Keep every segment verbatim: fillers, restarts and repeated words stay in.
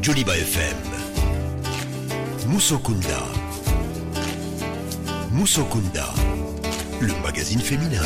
Joliba F M. Musokunda. Musokunda, le magazine féminin.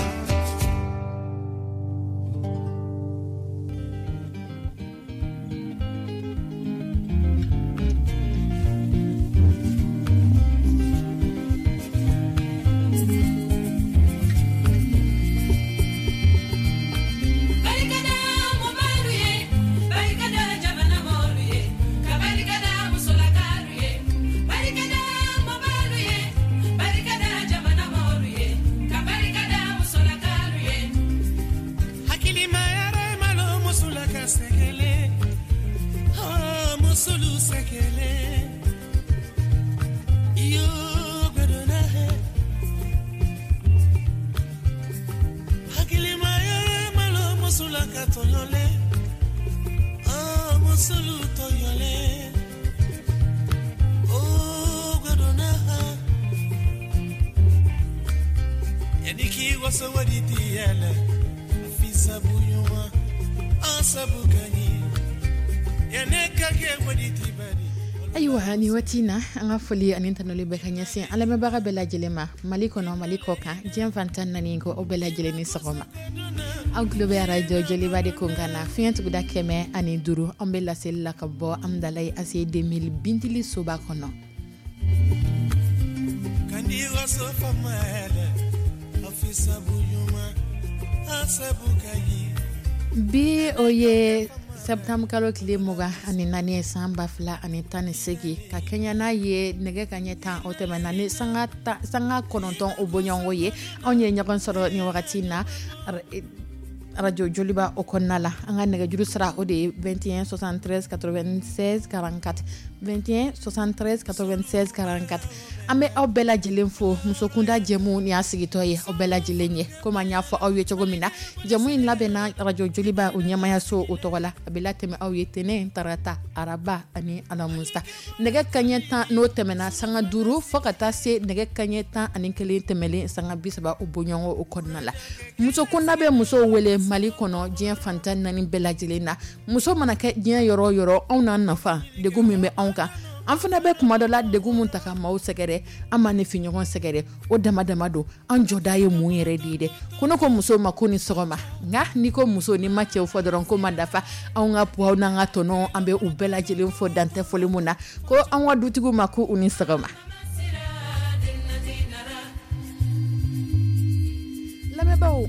Ayiwa, ni waati na, an ka foli ani tanuli bɛ ka ɲɛsin an lamɛnbaga bɛɛ lajɛlen ma, Mali kɔnɔ, Mali kɔ kan, diɲɛ fan tan naani, ko aw bɛɛ lajɛlen ni sɔgɔma. Aw tulo bɛ arajo Joliba de kunkan na, fiɲɛ tuguda kɛmɛ ani duuru. An bɛ laseli la ka bɔ Amudalayi A C deux mille Bintili soba kɔnɔ. Kandi waso fama afisa bunyuma asabu kayi. Bi, o ye septembre kalo tile mugan ani naani ye, san ba fila ani tan ni segin, ka kɛɲɛ n'a ye nɛgɛ ka ɲɛ tan o tɛmɛna ni sanga sanga kɔnɔntɔn o bɔɲɔgɔnko ye. Anw ye ɲɔgɔn sɔrɔ ni wagati na arajo Joliba o kɔnɔna la. An ka nɛgɛjuru sira, o de ye vingt et un soixante-treize quatre-vingt-seize quarante-quatre, vingt et un soixante-treize quatre-vingt-seize quarante-quatre. An bɛ aw bɛɛ lajɛlen fo. Musokunda jɛmu ni y'a sigitɔ ye aw bɛɛ lajɛlen ye. Komi an y'a fɔ aw ye cogo min na, jɛmu in labɛnna arajo Joliba o ɲɛmayaso o tɔgɔ la. A bɛ latɛmɛ aw ye tɛnɛn, tarata, araba ani alamusa, nɛgɛ kaɲɛ tan n'o tɛmɛna sanga duuru fo ka taa se nɛgɛ kaɲɛ tan ani kelen tɛmɛlen sanga bi saba o bɔɲɔgɔn o kɔnɔna la. Musokunda bɛ musow wele Mali kɔnɔ, diɲɛ fan tan naani bɛɛ lajɛlen na. Muso mana kɛ diɲɛ yɔrɔ o yɔrɔ, anw n'an nafa degun min bɛ anw kan, an fana bɛ kuma dɔ la degun mun ta ka maaw sɛgɛrɛ, an ma ne fi ɲɔgɔn sɛgɛrɛ, o dama dama don. An jɔda ye mun yɛrɛ de ye dɛ? Ko ne ko muso ma ko ni sɔgɔma, nka n'i ko muso, ni ma cɛw fɔ dɔrɔn ko ma dafa. Anw ka puwaw n'an ka tɔnɔ, an bɛ u bɛɛ lajɛlen fɔ, dantɛ foli mun na. Ko an ka dutigiw ma ko u ni sɔgɔma. Lamɛnbaaw,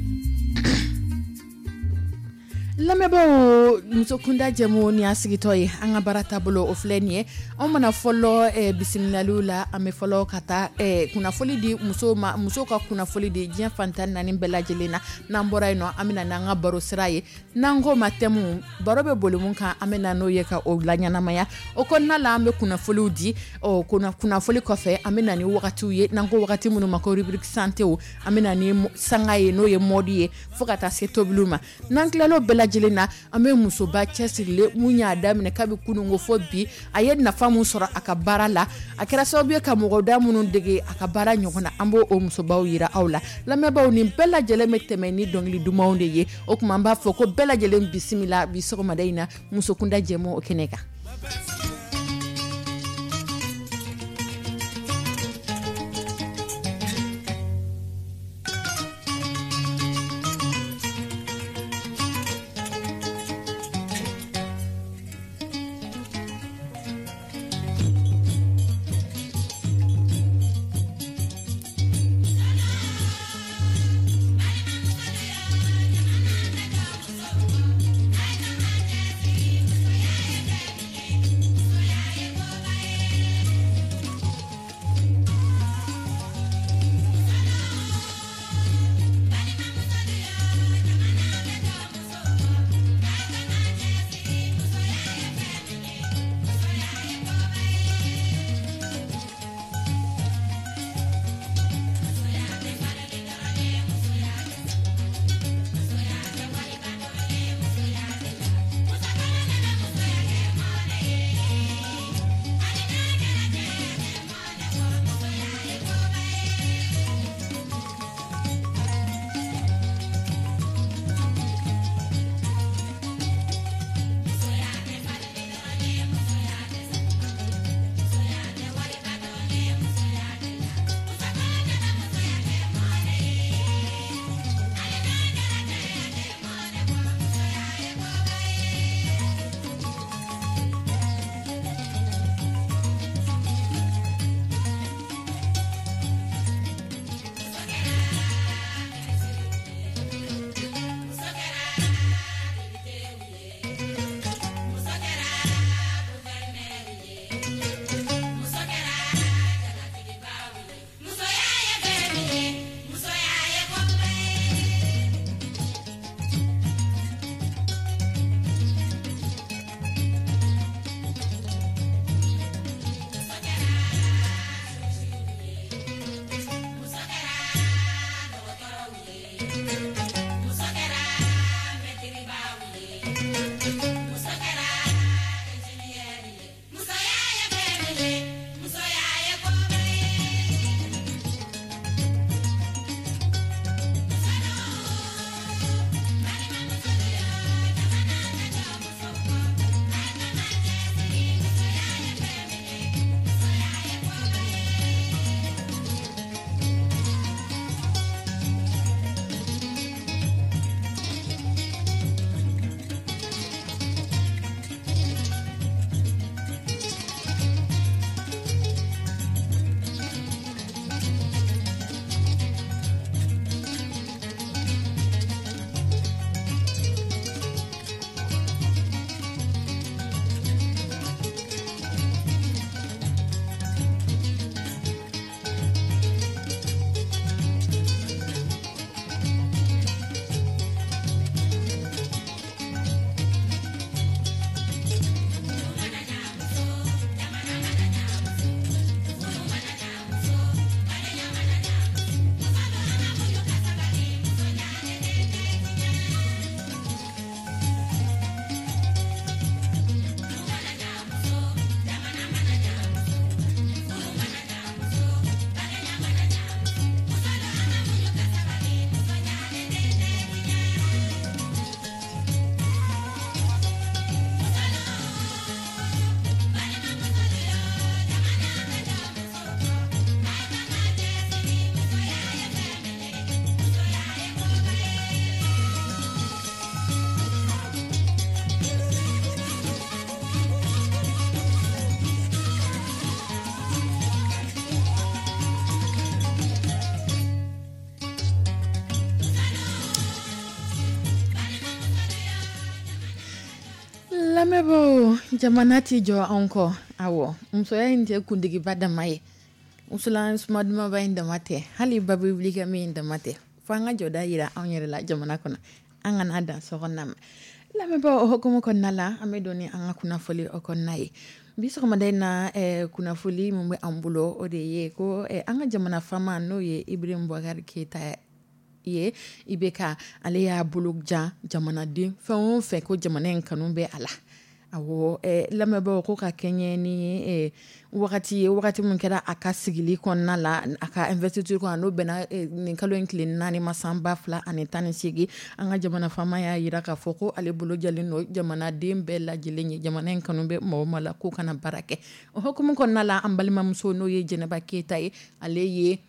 lamɛnbaaw, musokunda jɛmu ni y'a sigitɔ ye. An ka baara taabolo, o filɛ nin ye. Anw mana fɔlɔ eh, bisimilaliw la, an bɛ fɔlɔ ka taa eh, kunnafoli di musow ma, musow ka kunnafoli di diɲɛ fan tan naani bɛɛ lajɛlen na. N'an bɔra yen nɔ, an bɛ na n'an ka baro sira ye, n'an ko ma thème. Baro bɛ boli mun kan, an bɛ na n'o ye ka o laɲɛnamaya. O kɔnɔna la, an bɛ kunnafoliw di. Ɔ kunnafoli kɔfɛ, an bɛ na ni wagatiw ye, n'an ko wagati minnu ma ko rubrique santé. An bɛ na ni sanga ye, n'o ye mode ye, fo ka taa se tobiliw ma. N'an tilal'o bɛɛ lajɛlen na, an bɛ musoba cɛsirilen mun y'a daminɛ kabi kununko fo bi, a ye nafa mun sɔrɔ a ka baara la, a kɛra sababu ye ka mɔgɔ da minnu dege a ka baara ɲɔgɔn na, an b'o o musobaw yira aw la. Lamɛnbaaw, nin bɛɛ lajɛlen bɛ tɛmɛ ni dɔnkili dumanw de ye. O tuma, an b'a fɔ ko bɛɛ lajɛlen bisimila bi sɔgɔmada in na musokunda jɛmu o kɛnɛ kan. Lamɛnbaaw, jamana tɛ jɔ anw kɔ. Awɔ, musoya in tɛ kuntigiba dama ye, wusulan suma dumanba in dama tɛ, hali babi wuli kɛ min dama tɛ, fo an ka jɔda yira anw yɛrɛ la jamana kɔnɔ, an kana dan sokɔnɔna ma. Lamɛnbaaw, o hukumu kɔnɔna la, an bɛ don ni an ka kunnafoli o kɔnɔna ye bi sɔgɔmada in na. eh, kunnafoli min bɛ an bolo, o de ye ko eh, an ka jamana faama, n'o ye Ibrahim Boubacar Keita ye, I B K, ale y'a bolo jan jamanaden fɛn o fɛn ko jamana in kanu bɛ a la. Awɔ, eh, lamɛnbaaw, ko ka kɛɲɛ ni eh, wagati ye, wagati min kɛra a ka sigili kɔnɔna la, a ka investiture kɔnɔ, n'o bɛnna eh, nin kalo in tile naani ma, san ba fila ani tan ni seegin, an ka jamana faama y'a yira k'a fɔ ko ale bolo jalen don jamanaden bɛɛ lajɛlen ye, jamana in kanu bɛ mɔgɔ o maa la, k'o kana baara kɛ. O hukumu kɔnɔna la, an balimamuso, n'o ye Jɛnɛba Keyita ye, ale ye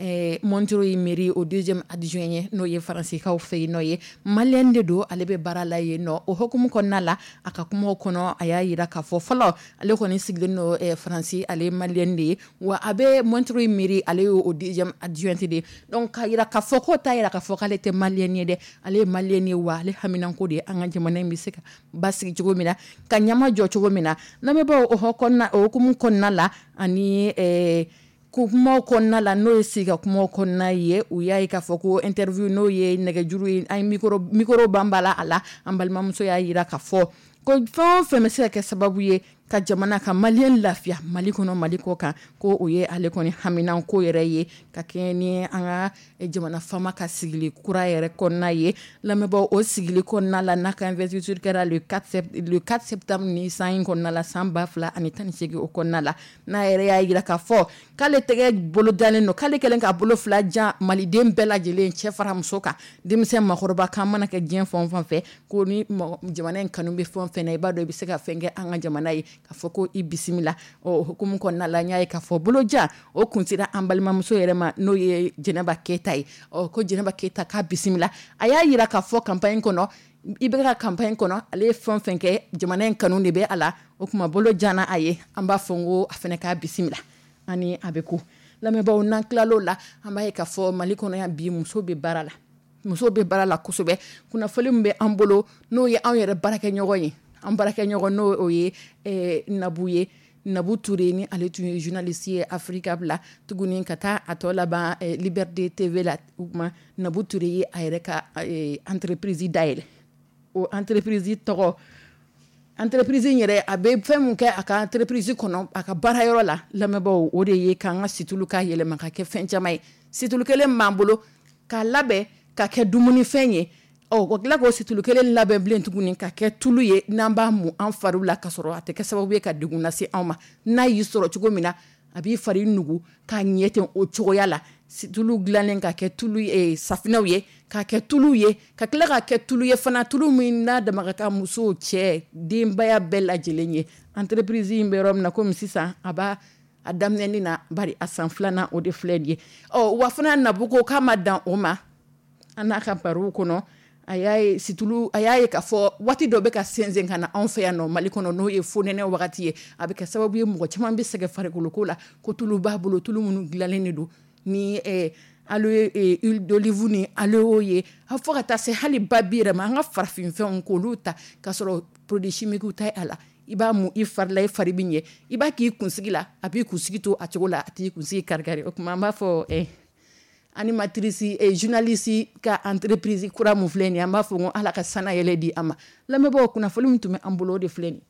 eh, Montreuil mairie o deuxième adjoint ye, n'o ye faransikaw fɛ yen nɔ ye, maliyɛn de don, ale bɛ baara la yen nɔ. O hukumu kɔnɔna la, a ka kumaw kɔnɔ, a y'a yira k'a fɔ fɔlɔ, ale kɔni sigilen don eh, Faransi, ale ye maliyɛn de ye, wa a bɛ Montreuil mairie, ale ye o deuxième adjoint de ye. Donc k'a yira k'a fɔ k'o t'a yira k'a fɔ k'ale tɛ maliyɛn ye dɛ, ale ye maliyɛn ye, wa ale haminanko de ye an ka jamana in bɛ se ka basigi cogo min na, ka ɲama jɔ cogo min na. Lamɛnbaaw, o kɔnɔna o hukumu kɔnɔna la, ani eh, kumaw kɔnɔna la, n'o ye sigi ka kumaw kɔnɔna ye, u y'a ye k'a fɔ ko interview, n'o ye nɛgɛjuru ye, an ye micro micro banbala a la, an balimamuso y'a yira k'a fɔ ko fɛn o fɛn bɛ se ka kɛ sababu ye ka jamana ka maliyɛn lafiya Mali kɔnɔ, Mali kɔ kan, ko o ye ale kɔni haminanko yɛrɛ ye, ka kɛɲɛ ni an ka jamana faama ka sigili kura yɛrɛ kɔnɔna ye. Lamɛnbaaw, o sigili kɔnɔna la, n'a ka investiture kɛra le quatre le quatre septembre ni san in kɔnɔna la, san ba fila ani tan ni seegin, o kɔnɔna la, n'a yɛrɛ y'a yira k'a fɔ k'ale tɛgɛ bolo dalen don, k'ale kɛlen k'a bolo fila jan maliden bɛɛ lajɛlen, cɛ fara muso kan, denmisɛn, makɔrɔba kan, mana kɛ diɲɛ fɛn o fɛn fɛ, ko ni jamana in kanu bɛ fɛn o fɛn na, i b'a dɔn i bɛ se ka fɛn kɛ an ka jamana ye, k'a fɔ ko i bisimila. O hukumu kɔnɔna la, n y'a ye k'a fɔ bolojan o kun sera an balimamuso yɛrɛ ma, n'o ye Jɛnɛba Keyita ye. Ɔ, ko Jɛnɛba Keyita k'a bisimila. A y'a yira k'a fɔ campagne kɔnɔ, i bɛ ka campagne kɔnɔ, ale ye fɛn o fɛn kɛ, jamana in kanu de bɛ a la. O tuma bolo jana a ye, an b'a fɔ n ko a fana k'a bisimila ani a bɛ ko. Lamɛnbaaw, n'an tilal'o la, an b'a ye k'a fɔ Mali kɔnɔ yan bi, muso bɛ baara la, muso bɛ baara la kosɛbɛ. Kunnafoni min bɛ an bolo, n'o ye anw yɛrɛ baarakɛɲɔgɔn ye, an baarakɛɲɔgɔn, n'o o ye eh, Nabu ye, Nabu Ture, ni ale tun ye journaliste ye Africa bila tuguni ka taa a tɔ laban eh, Liberté T V la. O tuma Nabu Ture ye a yɛrɛ ka eh, entreprise dayɛlɛ. O entreprise tɔgɔ, entreprise in yɛrɛ, a bɛ fɛn mun kɛ a ka entreprise kɔnɔ, a ka baarayɔrɔ la, lamɛnbaaw, o de ye k'an ka situlu k'a yɛlɛma ka kɛ fɛn caman ye. Situlu kelen b'an bolo k'a labɛn ka kɛ dumunifɛn ye, ɔ o tila k'o situlu kelen labɛn bilen tuguni ka kɛ tulu ye, n'an b'a mun an fariw la, ka sɔrɔ a tɛ kɛ sababu ye ka degun lase anw ma. N'a y'i sɔrɔ cogo min na, a b'i fari nugu k'a ɲɛ ten o cogoya la. Tulu dilannen ka kɛ tulu ye, safinɛw ye, ka kɛ tulu ye, ka tila ka kɛ tulu ye fana, tulu min n'a dama ka kan muso, cɛ, denbaya bɛɛ lajɛlen ye. Entreprise in bɛ yɔrɔ min na komi sisan, a b'a a daminɛni na, bari a san filanan o de filɛ nin ye. Ɔ, wa fana Nabu ko k'a ma dan o ma. An n'a ka barow kɔnɔ, a y'a ye situlu, a y'a ye k'a fɔ waati dɔ bɛ ka sɛnsɛn ka na anw fɛ yan nɔ Mali kɔnɔ, n'o ye fonɛnɛ wagati ye, a bɛ kɛ sababu ye mɔgɔ caman bɛ sɛgɛn farikoloko la, ko tulu b'a bolo, tulu minnu dilannen de don ni eh, aloe, eh, huile d'olive ni aloe ye, fo ka taa se hali babi yɛrɛ ma, an ka farafinfɛnw k'olu ta k'a sɔrɔ produit chimique tɛ a la. I b'a mun i fari la, i fari bɛ ɲɛ. I b'a k'i kunsigi la, a b'i kunsigi to a cogo la, a t'i kunsigi kari-kari. O tuma an b'a fɔ eh, animatrice et journaliste ka entreprise kura mun filɛ nin ye, an b'a fɔ ko Ala ka sana yɛlɛ di a ma. Lamɛnbaaw, kunnafoni min tun bɛ an bolo, o de filɛ nin.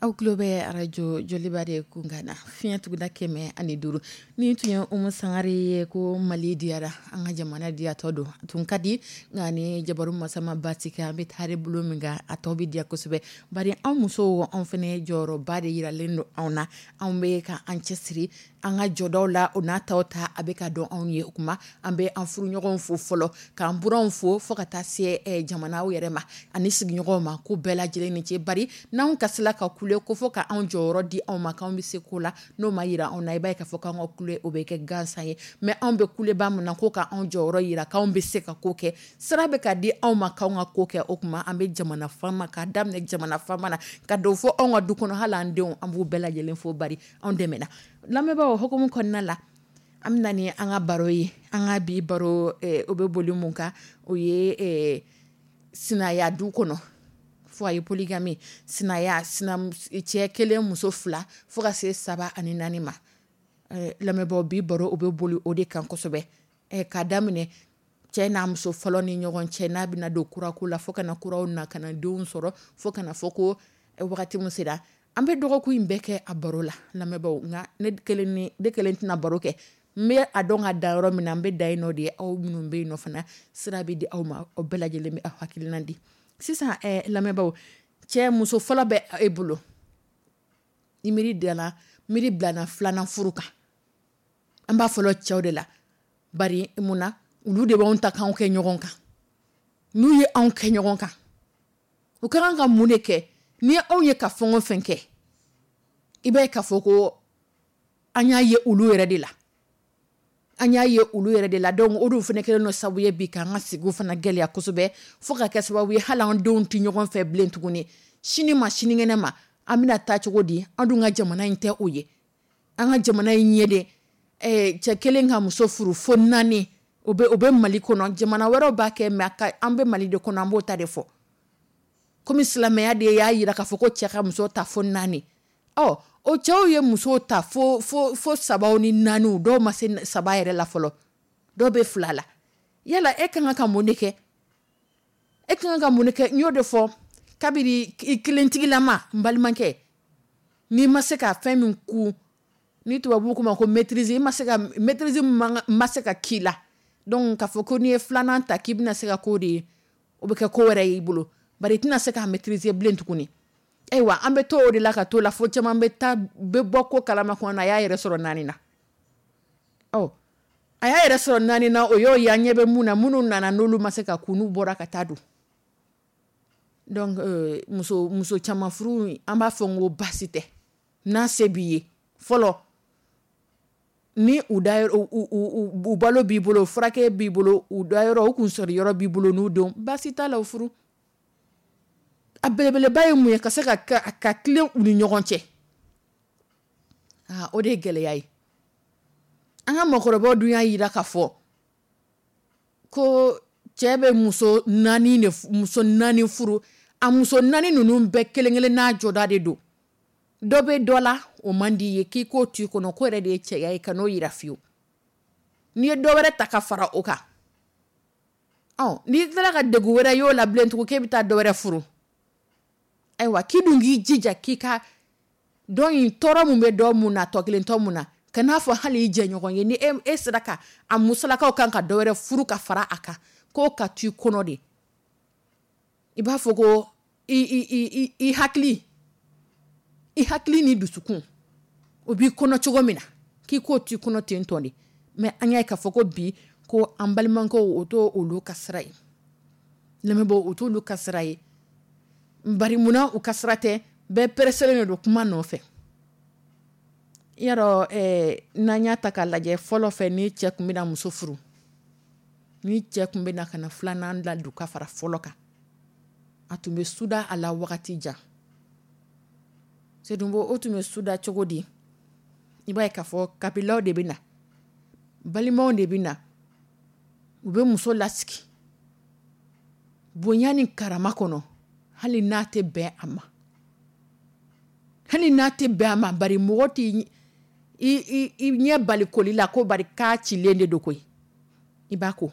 Aw tulo bɛ arajo Joliba de kunkan na, fiɲɛ tuguda kɛmɛ ani duuru. Ni tun ye Umu Sangare ye ko Mali diyara, an ka jamana diyatɔ don, a tun ka di nka ni jabaru masa ma baasi kɛ, an bɛ taari bolo min kan, a tɔ bɛ diya kosɛbɛ. Bari anw musow, anw fana jɔyɔrɔba de yiralen don anw na, anw bɛ ka an cɛsiri an ka jɔdaw la, o n'a taw ta a bɛ ka dɔn anw ye. O kuma an bɛ an furuɲɔgɔnw fo fɔlɔ, k'an buranw fo, fo ka taa se jamana yɛrɛ ma ani sigiɲɔgɔnw ma, ko bɛɛ lajɛlen ni ce. Bari n'anw kasila ka kule ko fɔ ka anw jɔyɔrɔ di anw ma, k'anw bɛ se ko la, n'o ma yira anw na, i b'a ye k'a fɔ k'an ka kule o bɛ kɛ gansan ye. Mais anw bɛ kuleba min na ko ka anw jɔyɔrɔ yira k'anw bɛ se ka ko kɛ, sira bɛ ka di anw ma k'anw ka ko kɛ. O kuma an bɛ jamana faama, k'a daminɛ jamana faama na ka don fo anw ka du kɔnɔ, hali an denw, an b'u bɛɛ lajɛlen fo, bari anw dɛmɛna. Lamɛnbaaw, hukumu kɔnɔna la, an bɛna ni an ka baro ye. An ka bi baro o bɛ boli mun kan? O ye sinaya du kɔnɔ, foyer polygamie, sinaya, cɛ kelen muso fila fo ka se saba ani naani ma. Lamɛnbaaw, bi baro o bɛ boli o de kan kosɛbɛ, k'a daminɛ cɛ n'a muso fɔlɔ ni ɲɔgɔn cɛ, n'a bɛna don kurako la, fo ka na kuraw na ka na denw sɔrɔ, fo ka na fɔ ko wagati min sera. An bɛ dɔgɔkun in bɛɛ kɛ a baro la, lamɛnbaaw. Nka ne kelen ni ne kelen tɛna baro kɛ. N bɛ a dɔn ka dan yɔrɔ min na, n bɛ dan yen nɔ de ye. Aw minnu bɛ yen nɔ fana, sira bɛ di aw ma, aw bɛɛ lajɛlen bɛ aw hakilina di sisan. Lamɛnbaaw, cɛ muso fɔlɔ bɛ e bolo, ni miiri dala miiri bilana filanan furu kan, an b'a fɔlɔ cɛw de la. Bari mun na? Olu de b'anw ta k'anw kɛ ɲɔgɔn kan. N'u ye anw kɛ ɲɔgɔn kan, u ka kan ka mun de kɛ? Ni anw ye ka fɛn o fɛn kɛ, i b'a ye k'a fɔ ko an y'a ye olu yɛrɛ de la, an y'a ye olu yɛrɛ de la. Donc o de fana kɛlen don sababu ye bi k'an ka sigiw fana gɛlɛya kosɛbɛ, fo ka kɛ sababu ye hali an denw tɛ ɲɔgɔn fɛ bilen tuguni. Sini ma sinikɛnɛ ma, an bɛna taa cogo di? An dun ka jamana in tɛ o ye. An ka jamana in ye de cɛ kelen ka muso furu fo naani, o bɛ o bɛ Mali kɔnɔ. Jamana wɛrɛw b'a kɛ, mais an bɛ Mali de kɔnɔ, an b'o ta de fɔ. Komi silamɛya de y'a jira k'a fɔ ko cɛ ka muso ta fo naani, ɔ o cɛw ye muso ta fo fo fo sabaw ni naaniw, dɔw ma se saba yɛrɛ la fɔlɔ, dɔw bɛ fila la. Yala e ka kan ka mun de kɛ? E ka kan ka mun de kɛ? N y'o de fɔ kabini i kelentigilama, n balimakɛ, n'i ma se ka fɛn min kun, ni tubabuw k'o ma ko maîtrise, i ma se ka maîtrise ma se ka k'i la, donc k'a fɔ ko n'i ye filanan ta k'i bɛna se ka k'o de ye, o bɛ kɛ ko wɛrɛ y'i bolo, bari i tɛna se k'a maîtriser bilen tuguni. Ayiwa, an bɛ to o de la ka to la fo caman bɛ taa bɛ bɔ ko kalama kɔnɔ na, a y'a yɛrɛ sɔrɔ naani na. Ɔ a y'a yɛrɛ sɔrɔ naani na, o y'o ye. An ɲɛ bɛ mun na? Minnu nana, n'olu ma se ka kun, n'u bɔra ka taa don. Donc muso muso caman furu, an b'a fɔ n ko baasi tɛ n'a se b'i ye fɔlɔ, ni u da u balo b'i bolo, furakɛ b'i bolo, u da yɔrɔ, u kun sɔrɔ yɔrɔ b'i bolo, n'u denw, baasi t'a la, o furu. A belebeleba ye mun ye? Ka se ka ka tilen u ni ɲɔgɔn cɛ. Aa, o de ye gɛlɛya ye. An ka mɔgɔkɔrɔbaw dun y'a jira k'a fɔ ko cɛ bɛ muso naani de, muso naani furu. A muso naani ninnu bɛɛ kelen kelen n'a jɔda de don. Dɔ bɛ dɔ la, o man di ye, k'i k'o to i kɔnɔ, ko yɛrɛ de ye cɛya ye, ka n'o yira fiyewu. N'i ye dɔ wɛrɛ ta ka fara o kan, ɔ n'i tilala ka degun wɛrɛ y'o la bilen tugun, k'e bɛ taa dɔ wɛrɛ furu, ayiwa, k'i dun k'i jija k'i ka dɔ in tɔɔrɔ mun bɛ dɔ mun na, tɔ kelen tɔ mun na, ka n'a fɔ hali i jɛɲɔgɔn ye, ni e e sera ka a musolakaw kan ka dɔ wɛrɛ furu ka fara a kan, k'o ka to i kɔnɔ de. I b'a fɔ ko i i i i hakili i hakili ni dusukun, o b'i kɔnɔ cogo min na, k'i k'o to i kɔnɔ ten tɔ de. Mais an y'a ye k'a fɔ ko bi ko an balimakɛw, o t'o olu ka sira ye. Lamɛnbaaw, o t'olu ka sira ye. Bari munna u ka sira tɛ? Bɛɛ pɛrɛsɛlen de don kuma nɔfɛ. I y'a dɔn, ɛɛ n'an y'a ta k'a lajɛ fɔlɔ fɛ, ni cɛ tun bɛna muso furu, ni cɛ tun bɛna ka na filanan ladon ka fara fɔlɔ kan, a tun bɛ suda a la wagati jan. Sedunbo, o tun bɛ suda cogo di? I b'a ye k'a fɔ kabilaw de bɛ na, balimaw de bɛ na, u bɛ muso lasigi bonya ni karama kɔnɔ, hali n'a tɛ bɛn a ma, hali n'a tɛ bɛn a ma. Bari mɔgɔ tɛ i i i ɲɛ bali koli la ko bari k'a cilen de don koyi. I b'a ko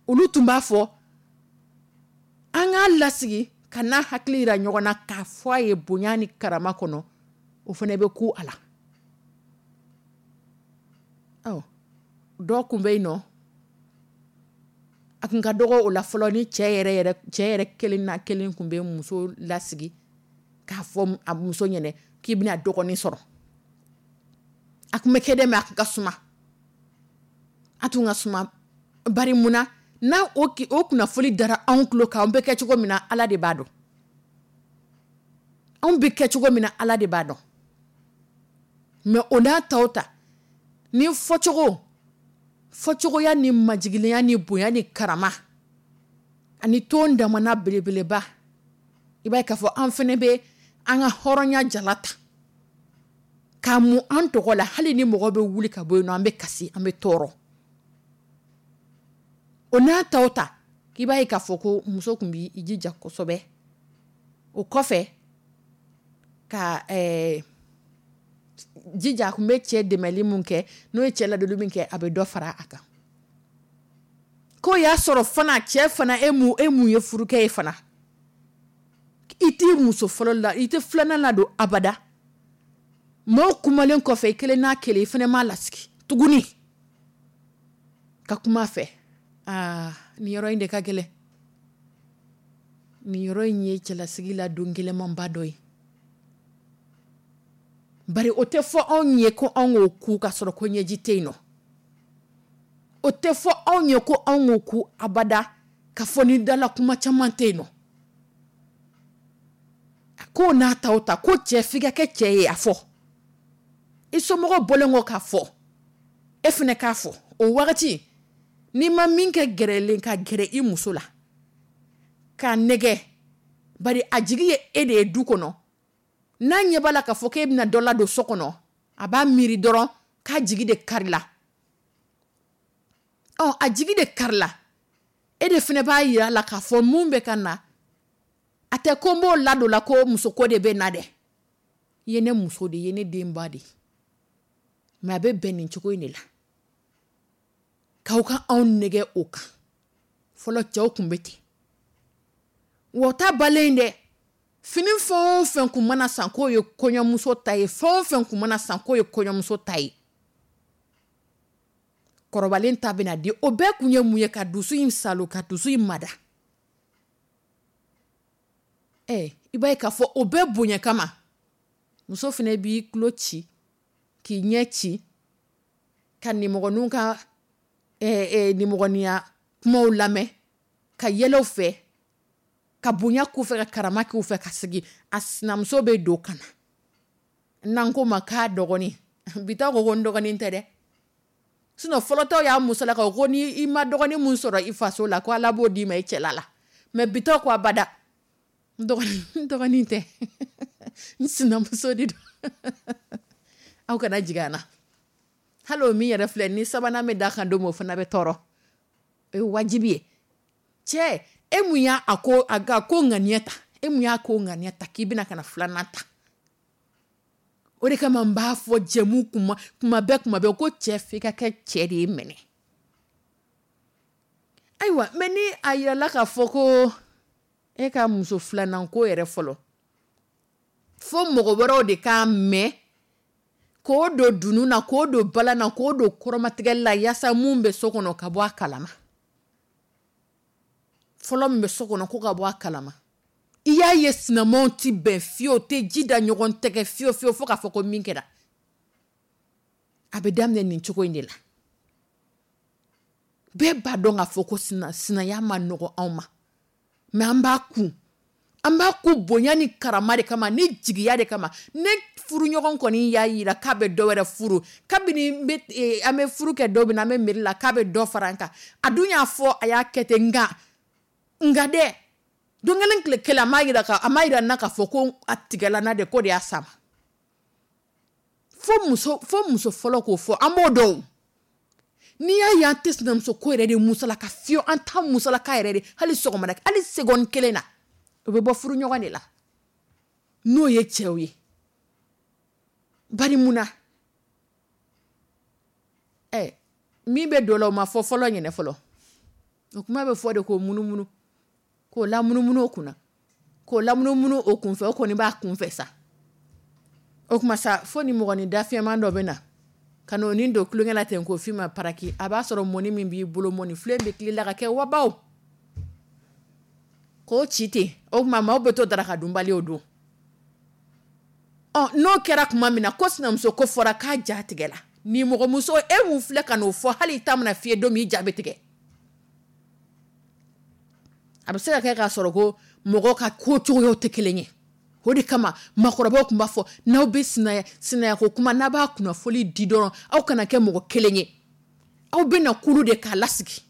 olu tun b'a fɔ an k'a lasigi Ka n'a hakili yira ɲɔgɔn na k'a fɔ a ye bonya ni karama kɔnɔ, o fana bɛ ku a la. Ɔ, dɔ kun bɛ yen nɔ, a kun ka dɔgɔ o la fɔlɔ, ni cɛ yɛrɛ yɛrɛ cɛ yɛrɛ kelen na kelen kun bɛ muso lasigi k'a fɔ a muso ɲɛnɛ k'i bɛna dɔgɔnin sɔrɔ. A kun bɛ kɛ dɛ, mais a kun ka suma, a tun ka suma. Bari mun na n'a o o kunnafoni dara anw tulo kan, an bɛ kɛ cogo min na, Ala de b'a dɔn. Anw bɛ kɛ cogo min na, Ala de b'a dɔn. Mais o n'a taw ta ni fɔcogo fɔcogoya ni majiginlenya ni bonya ni karama ani ton damana belebeleba, i b'a ye k'a fɔ an fana bɛ an ka hɔrɔnya jala ta k'a mun an tɔgɔ la. Hali ni mɔgɔ bɛ wuli ka bɔ yen nɔ, an bɛ kasi, an bɛ tɔɔrɔ. O n'a taw ta, k'i b'a ye k'a fɔ ko muso tun b'i jija kosɛbɛ. O kɔfɛ ka ɛɛ jija, a tun bɛ cɛ dɛmɛli mun kɛ, n'o ye cɛ ladonni min kɛ, a bɛ dɔ fara a kan. K'o y'a sɔrɔ fana cɛ fana, e mun e mun ye furukɛ ye fana, i t'i muso fɔlɔ la, i tɛ filanan ladon abada. Maaw kumalen kɔfɛ, i kelen n'a kelen, i fana m'a lasigi tuguni ka kuma a fɛ. Aa, nin yɔrɔ in de ka gɛlɛn. Nin yɔrɔ in ye cɛlasigi la don gɛlɛnmanba dɔ ye. Bari o tɛ fɔ anw ye ko anw k'o ku ka sɔrɔ ko ɲɛji tɛ yen nɔ. O tɛ fɔ anw ye ko anw k'o ku abada ka fɔ ni dala kuma caman tɛ yen nɔ. K'o n'a taw ta, ko cɛ f'i ka kɛ cɛ ye, a fɔ i somɔgɔw bɔlen kɔ k'a fɔ, e fana k'a fɔ. O wagati n'i ma min kɛ gɛrɛlen ka gɛrɛ i muso la k'a nɛgɛ, bari a jigi ye e de ye du kɔnɔ, n'a ɲɛ b'a la k'a fɔ k'e bɛna dɔ ladon so kɔnɔ, a b'a miiri dɔrɔn k'a jigi de karila. Ɔ, a jigi de karila, e de fana b'a yira a la k'a fɔ mun bɛ ka na, a tɛ ko n b'o ladon la ko musoko de bɛ na dɛ, i ye ne muso de ye, i ye ne denba de ye, mais a bɛ bɛn nin cogo in de la. K'aw ka anw nɛgɛ o kan. Fɔlɔ cɛw tun bɛ ten wa. O ta balen dɛ, fini fɛn o fɛn kun mana san k'o ye kɔɲɔmuso ta ye, fɛn o fɛn kun mana san k'o ye kɔɲɔmuso ta ye, kɔrɔbalen ta bɛna di. O bɛɛ kun ye mun ye? Ka dusu in salo, ka dusu in mada. Ɛ, i b'a ye k'a fɔ o bɛɛ bonya kama, muso fana b'i tulo ci k'i ɲɛ ci ka nimɔgɔninw ka ɛɛ nimɔgɔninya kumaw lamɛn, ka yɛlɛ u fɛ, ka bonya k'u fɛ, ka karama k'u fɛ, ka sigi. A sinamuso bɛ don ka na, n'an ko ma k'a dɔgɔnin, bi ta ko ko n dɔgɔnin tɛ dɛ. Sinon fɔlɔtɔw y'a musolakaw ko ni i ma dɔgɔnin mun sɔrɔ i faso la, ko Ala b'o d'i ma i cɛla la. Mais bi ta ko abada, n dɔgɔnin, n dɔgɔnin tɛ, n sinamuso de don. Aw kana jigin an na. Hali o min yɛrɛ filɛ ni sabanan bɛ da kan don min, o fana bɛ tɔɔrɔ, o ye wajibi ye. Cɛ, e mun y'a a ko a ka ko ŋaniya ta, e mun y'a ko ŋaniya ta k'i bɛna ka na filanan ta? O de kama n b'a fɔ jɛmu kuma kuma bɛɛ kuma bɛɛ ko cɛ f'i ka kɛ cɛ de ye mɛnɛ. Ayiwa, mais ni a yirala k'a fɔ ko e ka muso filanan ko yɛrɛ fɔlɔ, fo mɔgɔ wɛrɛw de k'a mɛn k'o don dunun na, k'o don balan na, k'o don kɔrɔmatigɛli la, yaasa mun bɛ so kɔnɔ ka bɔ a kalama. Fɔlɔ min bɛ so kɔnɔ ko ka bɔ a kalama. I y'a ye, sinamaw ti bɛn fiyewu, tɛ ji da ɲɔgɔn tɛgɛ fiyewu fiyewu, fo k'a fɔ ko min kɛra. A bɛ daminɛ nin cogo in de la. Bɛɛ b'a dɔn k'a fɔ ko sina sinaya ma nɔgɔ anw ma, mais an b'a kun, an b'a kun bonya ni karama de kama, ni jigiya de kama. Ne furuɲɔgɔn kɔni y'a yira k'a bɛ dɔ wɛrɛ furu, kabini n bɛ eh, an bɛ furu kɛ don min na, an bɛ miiri la k'a bɛ dɔ fara an kan. A dun y'a fɔ, a y'a kɛ ten. Nka nka dɛ, don kelen tile kelen, a m'a yira ka a m'a yira n na k'a fɔ ko a tigɛla n na de, ko de y'a sama. Fo muso fo muso fɔlɔ k'o fɔ, an b'o dɔn. N'i y'a ye an tɛ sinamuso ko yɛrɛ de musalaka fiyewu, an t'a musalaka yɛrɛ de, hali sɔgɔmada, hali seconde kelen na, o bɛ bɔ furuɲɔgɔn de la, n'o ye cɛw ye. Bari mun na? Ɛ, min bɛ don la, o ma fɔ fɔlɔ ɲɛnɛ fɔlɔ. O kuma bɛ fɔ de k'o munumunu, k'o lamunumunu o kunna. K'o lamunumunu o kunfɛ, o kɔni b'a kunfɛ sa. O tuma sa, fo ni mɔgɔnin dafiyɛman dɔ bɛ na ka n'o ni don tulonkɛ la ten k'o f'i ma paraki. A b'a sɔrɔ mɔni min b'i bolo, mɔni filen bɛ tila ka kɛ wabaw k'o ci ten. O tuma maaw bɛ to daraka dunbali o don. Ɔ, n'o kɛra tuma min na ko sinamuso ko fɔra k'a ja tigɛ la, ni mɔgɔmuso e mun filɛ ka n'o fɔ, hali i ta mana f'i ye don min, i ja bɛ tigɛ. A bɛ se ka kɛ k'a sɔrɔ ko mɔgɔ ka ko cogoyaw tɛ kelen ye. O de kama maakɔrɔbaw tun b'a fɔ, n'aw bɛ sinaya sinaya ko kuma, n'a b'a kunnafoli di dɔrɔn, aw kana kɛ mɔgɔ kelen ye. Aw bɛna kulu de k'a lasigi,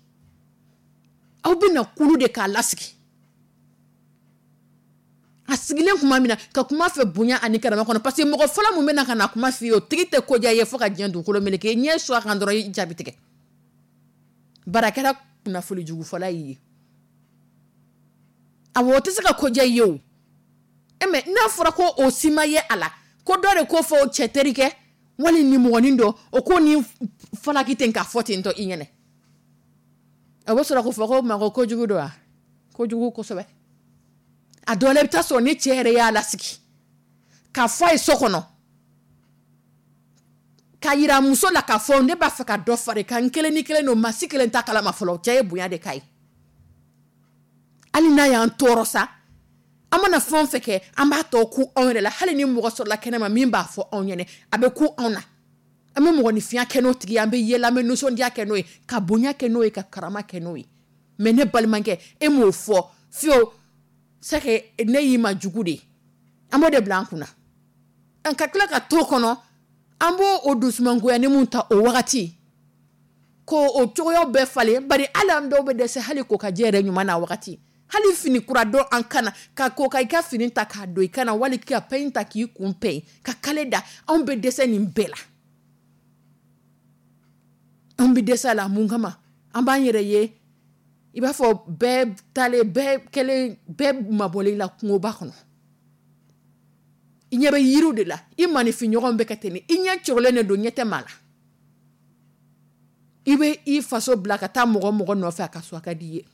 aw bɛna kulu de k'a lasigi. A sigilen tuma min na ka kuma fɛ bonya ani karama kɔnɔ, parce que mɔgɔ fɔlɔ min bɛna ka na kuma f'i ye, o tigi tɛ ko diya i ye fo ka diɲɛ dugukolo meleke. I ɲɛ su a kan dɔrɔn, i jaabi tigɛ. Bari a kɛra kunnafoli jugu fɔla y'i ye. Awɔ, o tɛ se ka ko diya i ye o. E mais n'a fɔra ko o si ma ye a la, ko dɔ de ko fɔ o cɛ terikɛ wali nimɔgɔnin dɔ, o ko ni falaki ten k'a fɔ ten tɔ i ɲɛnɛ, a bɛ sɔrɔ k'o fɔ ko ma ko kojugu don wa? Kojugu kosɛbɛ. A dɔw la, i bɛ taa sɔrɔ ni cɛ yɛrɛ y'a lasigi k'a fɔ a ye so kɔnɔ, k'a yira muso la k'a fɔ ne b'a fɛ ka dɔ fara i kan, n kelen ni kelen don, maa si kelen t'a kalama fɔlɔ. Cɛ ye bonya de k'a ye. Hali n'a y'an tɔɔrɔ sa, an mana fɛn o fɛn kɛ, an b'a tɔ ku anw yɛrɛ la. Hali ni mɔgɔ sɔrɔla kɛnɛma min b'a fɔ anw ɲɛnɛ, a bɛ ku anw na. An bɛ mɔgɔninfinya kɛ n'o tigi ye, an bɛ yɛlɛ, an bɛ nisɔndiya kɛ n'o ye, ka bonya kɛ n'o ye, ka karama kɛ n'o ye. Mais ne balimakɛ, e m'o fɔ fiyewu, c'est que ne y'i ma jugu de ye. An b'o de bila an kunna. An ka tila ka to kɔnɔ, an b'o o dusumangoya ni mun ta o wagati, ko o cogoyaw bɛɛ falen. Bari hali an dɔw bɛ dɛsɛ hali ko ka jɛ yɛrɛ ɲuman na wagati, hali fini kura dɔn an kana ka ko ka i ka fini ta k'a don i kana, wali ka pɛn ta k'i kun pɛn ka kale da. Anw bɛ dɛsɛ nin bɛɛ la, anw bɛ dɛsɛ a la. Mun kama an b'an yɛrɛ ye i b'a fɔ bɛɛ taalen, bɛɛ kɛlen, bɛɛ mabɔlen la kungoba kɔnɔ? I ɲɛ bɛ yiriw de la, i maninfinɲɔgɔn bɛ kɛ ten, i ɲɛ cogolen de don, ɲɛ tɛ maa la. I bɛ i faso bila ka taa mɔgɔ mɔgɔ nɔfɛ a ka so, a ka di i ye.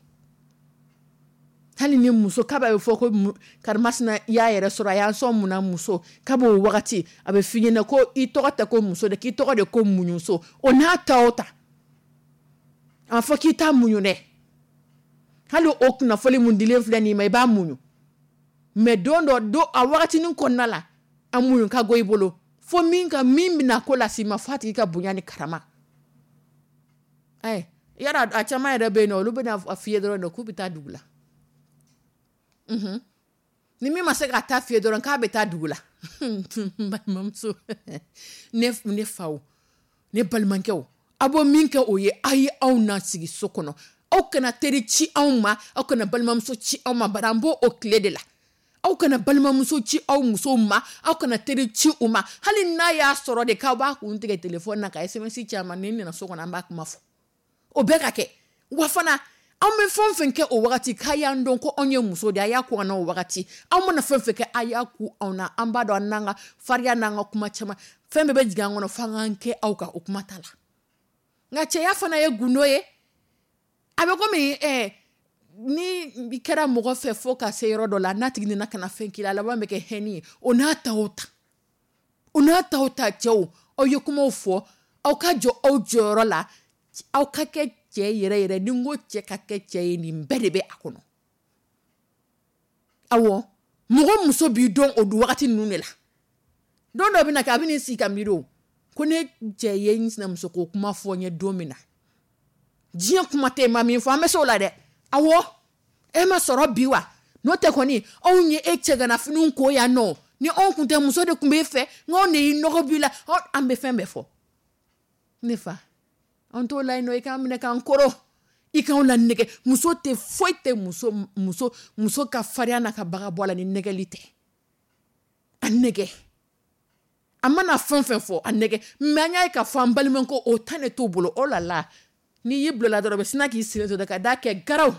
Hali ni muso k'a bɛ fɔ ko karimasina y'a yɛrɛ sɔrɔ, a y'an sɔn mun na muso k'a b'o wagati, a bɛ f'i ɲɛna ko i tɔgɔ tɛ ko muso de, k'i tɔgɔ de ko muɲuso. O n'a ta o ta, a ma fɔ k'i t'a muɲu dɛ. Hali o kunnafoli mun dilen filɛ nin ma, i b'a muɲu. Mais don dɔ don, a wagatinin kɔnɔna la, a muɲu ka go i bolo fo min ka min bɛna ko las'i ma, f'a tigi ka bonya ni karama. Ɛ, yala a caman yɛrɛ bɛ yen nɔ, olu bɛna a f'i ye dɔrɔn de k'u bɛ taa dugu la. Ni min ma se ka taa f'i ye dɔrɔn k'a bɛ taa dugu la. N balimamuso, ne ne faw, ne balimakɛw, aw b'o min kɛ, o ye aw ye anw na sigi so kɔnɔ. Aw kana teri ci anw ma, aw kana balimamuso ci anw ma. Bari an b'o o tile de la. Aw kana balimamuso ci aw musow ma, aw kana teri ci u ma. Hali n'a y'a sɔrɔ de k'aw b'a kun tigɛ telefɔni na ka S M S ci a ma, ni nana so kɔnɔ, an b'a kuma fɔ. O bɛɛ ka kɛ wa fana. Anw bɛ fɛn o fɛn kɛ o wagati, k'a y'an dɔn ko anw ye muso de ye, a y'a ko an na o wagati. Anw mana fɛn fɛn kɛ, a y'a ku anw na. An b'a dɔn, an n'an ka farinya n'an ka kuma caman, fɛn bɛɛ bɛ jigin an kɔnɔ f'an k'an kɛ aw kan, o kuma t'a la. Nka cɛya fana ye gundo ye. A bɛ komi ɛ ni i kɛra mɔgɔ fɛ fo ka se yɔrɔ dɔ la, n'a tigi nana ka na fɛn k'i la, a laban bɛ kɛ hɛnni ye. O n'a ta o ta, o n'a ta o ta, cɛw, aw ye kumaw fɔ, aw ka jɔ aw jɔyɔrɔ la, aw ka kɛ cɛ yɛrɛ yɛrɛ. Ni n ko cɛ ka kɛ cɛ ye, nin bɛɛ de bɛ a kɔnɔ. Awɔ, mɔgɔ muso b'i dɔn o wagati ninnu de la. Don dɔ bɛ na kɛ, a bɛ n'i sigi ka miiri o ko ne cɛ ye n sinamuso ko kuma fɔ n ye don min na, diɲɛ kuma tɛ ma min fɔ, an bɛ se o la dɛ. Awɔ, e ma sɔrɔ bi wa? N'o tɛ kɔni, anw ye e cɛganafiniw ko yan nɔ, ni anw kun tɛ, muso de tun b'e fɛ. Nka anw de y'i nɔgɔ b'i la, an bɛ fɛn bɛɛ fɔ. Ne fa, an t'o la yen nɔ. I k'an minɛ k'an kɔrɔ, i k'anw la nɛgɛ. Muso tɛ foyi tɛ, muso muso muso ka farinya n'a ka baga bɔ a la ni nɛgɛli tɛ. A nɛgɛ, a mana fɛn fɛn fɔ, a nɛgɛ. Mais an y'a ye k'a fɔ an balimakɛ, o ta ne t'o bolo. Oh là là, n'i y'i bila la dɔrɔn, bɛ sina k'i sen to ka da kɛ garaw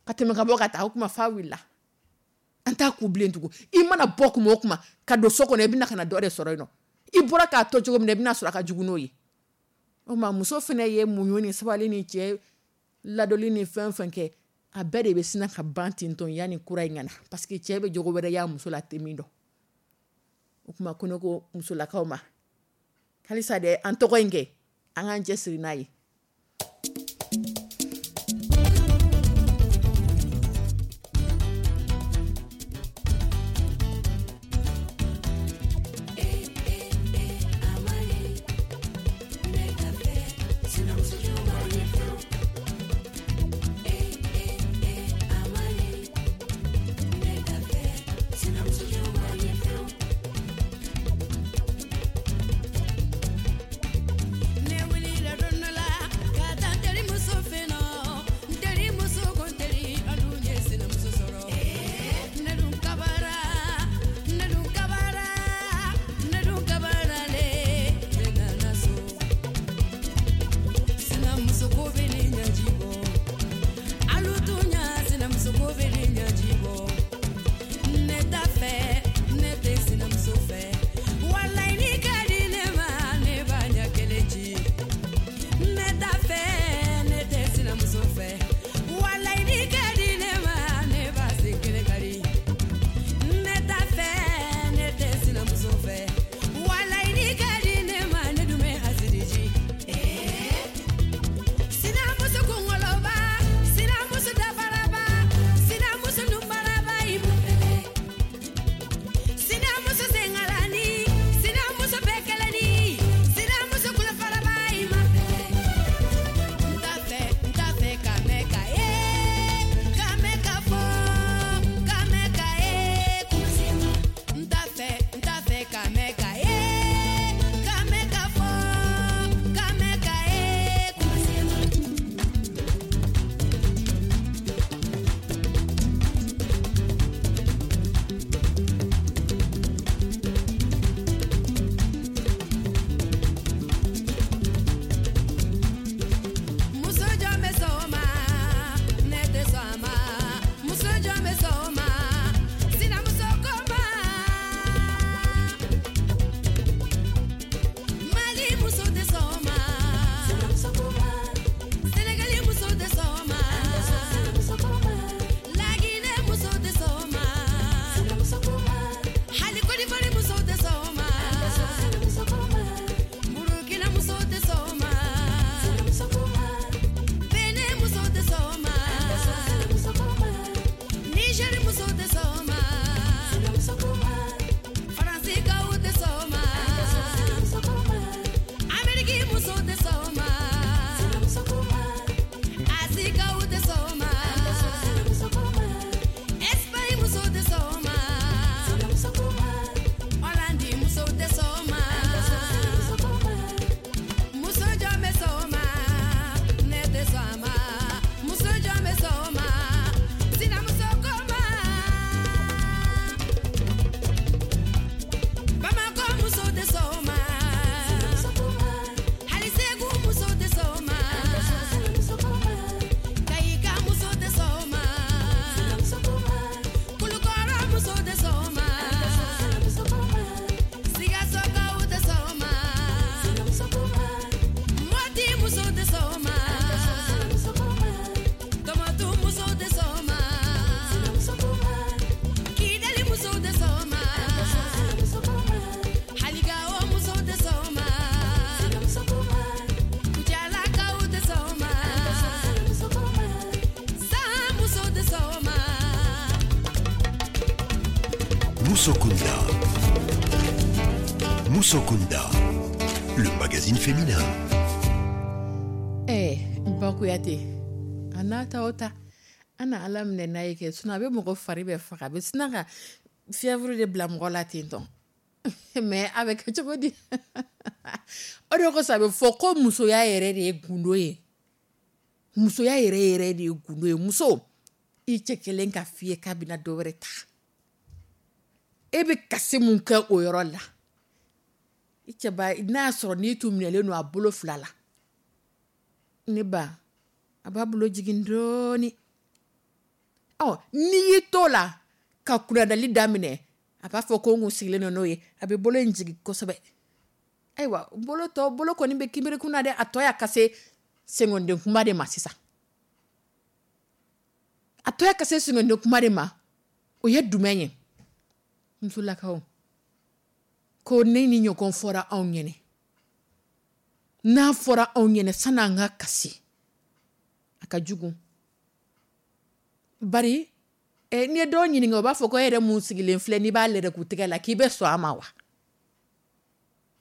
ka tɛmɛ ka bɔ ka taa. O kuma fa wulila, an t'a ku bilen tugun. I mana bɔ kuma o kuma ka don so kɔnɔ, i bɛna ka na dɔ de sɔrɔ yen nɔ. I bɔra k'a to cogo min na, i bɛna sɔrɔ a ka jugu n'o ye. O ma muso fana ye muɲu ni sabali ni cɛ ladoli ni fɛn fɛn kɛ. A bɛɛ de bɛ sin ka ban ten tɔn yanni kura in ka na, parce que cɛ bɛ jogo wɛrɛ y'a muso la a tɛ min dɔn. O tuma ko ne ko musolakaw ma, halisa dɛ, an tɔgɔ in kɛ, an k'an cɛ siri n'a ye. Ne wulila don dɔ la ka taa n terimuso fɛ yen nɔ, n terimuso ko n teri an dun ye sinamuso sɔrɔ. Ne dun kabara, ne dun kabara, ne dun kabara le, ne nana so. Sinamuso ko bɛ ne ɲɛji bɔ, alu tun ɲa sinamuso ko bɛ ne ɲɛji bɔ. Ne t'a fɛ, ne tɛ sinamuso fɛ. Walayi ni ka di ne ma, ne b'a ɲɛ kelen ci. Ne t'a fɛ, ne tɛ sinamuso fɛ. Walayi ni ka di ne ma, ne b'a sen kelen kari. Ne t'a fɛ, ne tɛ sinamuso fɛ. Walayi ni ka di ne ma, ne dun bɛ hasidi ji. Sinamuso kunkoloba, sinamuso dabaraba, sinamuso nunbaraba, i b'u fɛlɛ. Sinamuso sengalani, sinamuso bɛkɛlɛni, sinamuso kulofaraba, i ma fɛlɛ. N t'a fɛ, n t'a fɛ ka mɛn ka ye, ka mɛn ka fɔ, ka mɛn ka ye kuma. N t'a fɛ, n t'a fɛ ka mɛn ka ye, ka mɛn ka fɔ, ka mɛn ka ye kuma. Muso jɔn bɛ sɔn o ma, ne tɛ sɔn a ma. Muso jɔn bɛ sɔn o ma, sinamuso ko ma. Mali muso tɛ sɔn o ma, Senegali muso tɛ sɔn o ma, Laginɛ muso tɛ sɔn o ma, hali Côte d'Ivoire muso tɛ sɔn o ma, Burukina muso tɛ sɔn o ma, Benin muso tɛ sɔn o ma, Niger muso tɛ sɔn o ma, Faransikaw tɛ sɔn o ma, Ameriki muso tɛ sɔn o ma, Asikaw tɛ sɔn o ma, Espagne muso tɛ sɔn o ma, Hollande muso tɛ sɔn o ma. Muso jɔn bɛ sɔn o ma, ne tɛ sɔn a ma. Muso jɔn bɛ sɔn o ma, sinamuso ko ma. Bamakɔ muso tɛ sɔn o ma, hali Segu muso tɛ sɔn o ma, Kayika muso tɛ sɔn o ma, Kulukɔrɔ muso tɛ sɔn o ma, Sikasokaw tɛ sɔn o ma, Moti muso tɛ sɔn o ma, Tɔmɔtu muso tɛ sɔn o ma, Kidali muso tɛ sɔn o ma, hali Gawo muso tɛ sɔn o ma, Kucalakaw tɛ sɔn o ma, San muso tɛ sɔn o ma. Musokunda. Musokunda, le magazine féminin. Ɛɛ Ba Kuyate, a n'a ta o ta, an na Ala minɛ n'a ye kɛ, sinon a bɛ mɔgɔ fari bɛɛ faga, a bɛ sina ka fièvre de bila mɔgɔ la ten tɔn. Mais a bɛ kɛ cogo di? O de kosɔn a bɛ fɔ ko musoya yɛrɛ de ye gundo ye. Musoya yɛrɛ yɛrɛ de ye gundo ye. Muso, i cɛ kelen ka f'i ye k'a bɛna dɔ wɛrɛ ta. E bɛ kasi mun kɛ o yɔrɔ la? I cɛ ba, n'a y'a sɔrɔ n'i tun minɛlen don a bolo fila la. Ne ba, a b'a bolo jigin dɔɔni. Ɔ n'i y'i to la ka kunnadali daminɛ, a b'a fɔ ko n kun sigilen don n'o ye, a bɛ bolo in jigin kosɛbɛ. Ayiwa, bolo tɔ, bolo kɔni bɛ kinbiri kun na dɛ, a tɔ y'a ka se sengonden kunba de ma sisan. A tɔ ye ka se singende kuma de ma, o ye jumɛn ye? Musolakaw ko ne ni ɲɔgɔn fɔra anw ɲɛnɛ, n'a fɔra anw ɲɛnɛ san'an ka kasi, a ka jugu. Bari eh, n'i ye dɔw ɲininka, o b'a fɔ ko e yɛrɛ mun sigilen filɛ, n'i b'a lɛrɛk'u tɛgɛ la, k'i bɛ sɔn a ma wa?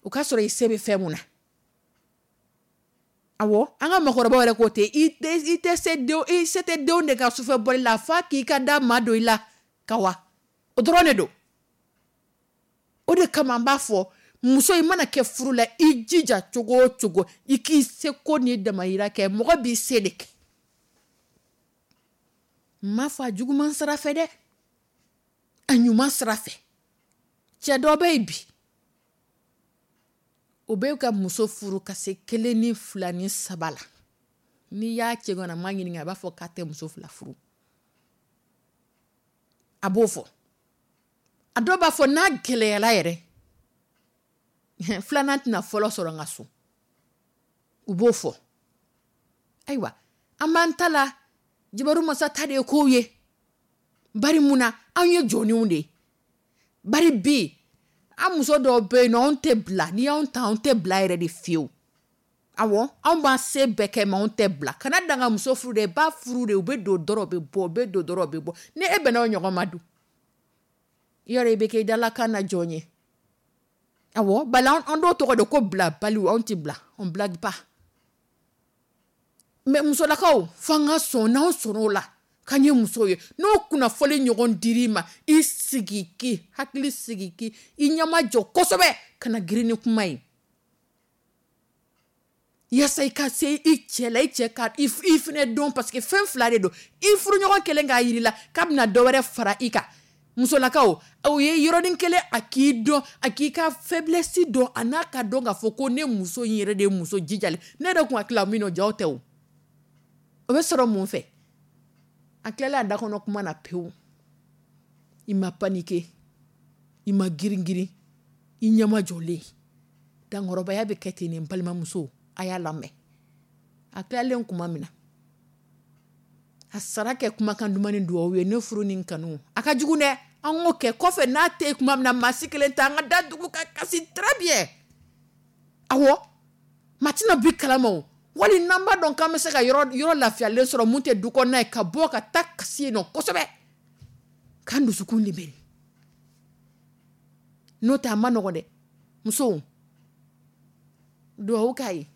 O k'a sɔrɔ i se bɛ fɛn mun na. Awɔ, an ka makɔrɔbaw yɛrɛ ko ten, i tɛ i tɛ se denw, i se tɛ denw de ka sufɛ bɔli la, f'a k'i ka da maa don i la ka wa, o dɔrɔn de don. O de kama an b'a fɔ, muso, i mana kɛ furu la, i jija cogo o cogo, i k'i seko n'i damayira kɛ. Mɔgɔ b'i se de kɛ. N m'a fɔ a juguman sira fɛ dɛ, a ɲuman sira fɛ. Cɛ dɔ bɛ yen bi, o bɛ ka muso furu ka se kelen ni fila ni saba la, n'i y'a cɛ ŋanama ɲininka, a b'a fɔ k'a tɛ muso fila furu. A b'o fɔ. A dɔw b'a fɔ n'a gɛlɛyala yɛrɛ, filanan tɛna fɔlɔ sɔrɔ n ka so. U b'o fɔ. Ayiwa, an b'an ta la jabaru masa ta de ye kow ye. Bari mun na? Anw ye jɔnniw de ye. Bari bi an muso dɔw bɛ yen nɔ, anw tɛ bila. N'i y'anw ta, anw tɛ bila yɛrɛ de fiyewu. Awɔ, anw b'an se bɛɛ kɛ, mɛ anw tɛ bila. Kana dan ka muso furu dɛ, i b'a furu de, u bɛ don dɔrɔn, u bɛ bɔ, u bɛ don dɔrɔn, u bɛ bɔ. Ni e bɛnna o ɲɔgɔn ma dun, yɔrɔ i bɛ kɛ i dalakan na jɔn ye? Awɔ, bali an dɔw tɔgɔ de ko bilabaliw. Anw tɛ bila, on blague pas. Mɛ musolakaw, f'an ka sɔn, n'anw sɔnn'o la k'an ye musow ye, n'o kunnafoni ɲɔgɔn dir'i ma, i sigi k'i hakili sigi, k'i i ɲɛma jɔ kosɛbɛ, kana girin ni kuma ye, yaasa i ka se i cɛ la, i cɛ ka i fɛnɛ dɔn, parce que fɛn fila de don. I furuɲɔgɔn kelen k'a yir'i la k'a bɛna dɔ wɛrɛ fara i kan, musolakaw, o ye yɔrɔnin kelen a k'i dɔn, a k'i ka faiblesse dɔn, a n'a ka dɔn k'a fɔ ko ne muso in yɛrɛ de ye muso jijalen. Ne yɛrɛ kun hakili la min nɔ jaw tɛ, o o bɛ sɔrɔ mun fɛ? A tilala a da kɔnɔ kuma na pewu, i ma paniquer, i ma girin girin, i ɲɛma jɔlen. Dankɔrɔbaya bɛ kɛ ten. Nin balimamuso, a y'a lamɛn. A tilalen kuma min na, a sara kɛ kumakan duman ni duwawu ye. Ne furu ni kanu, a ka jugu dɛ. An k'o kɛ kɔfɛ, n'a tɛ kuma min na, maa si kelen tɛ an ka da dugu ka kasi très bien. Awɔ, maa tɛna bi kalama o. Wali n'an b'a dɔn k'an bɛ se ka yɔrɔ yɔrɔ lafiyalen sɔrɔ mun tɛ du kɔnɔna ye, ka bɔ ka taa kasi yen nɔ kosɛbɛ, k'an dusukun libéré. N'o tɛ, a ma nɔgɔn dɛ. Musow, duwawu k'a ye.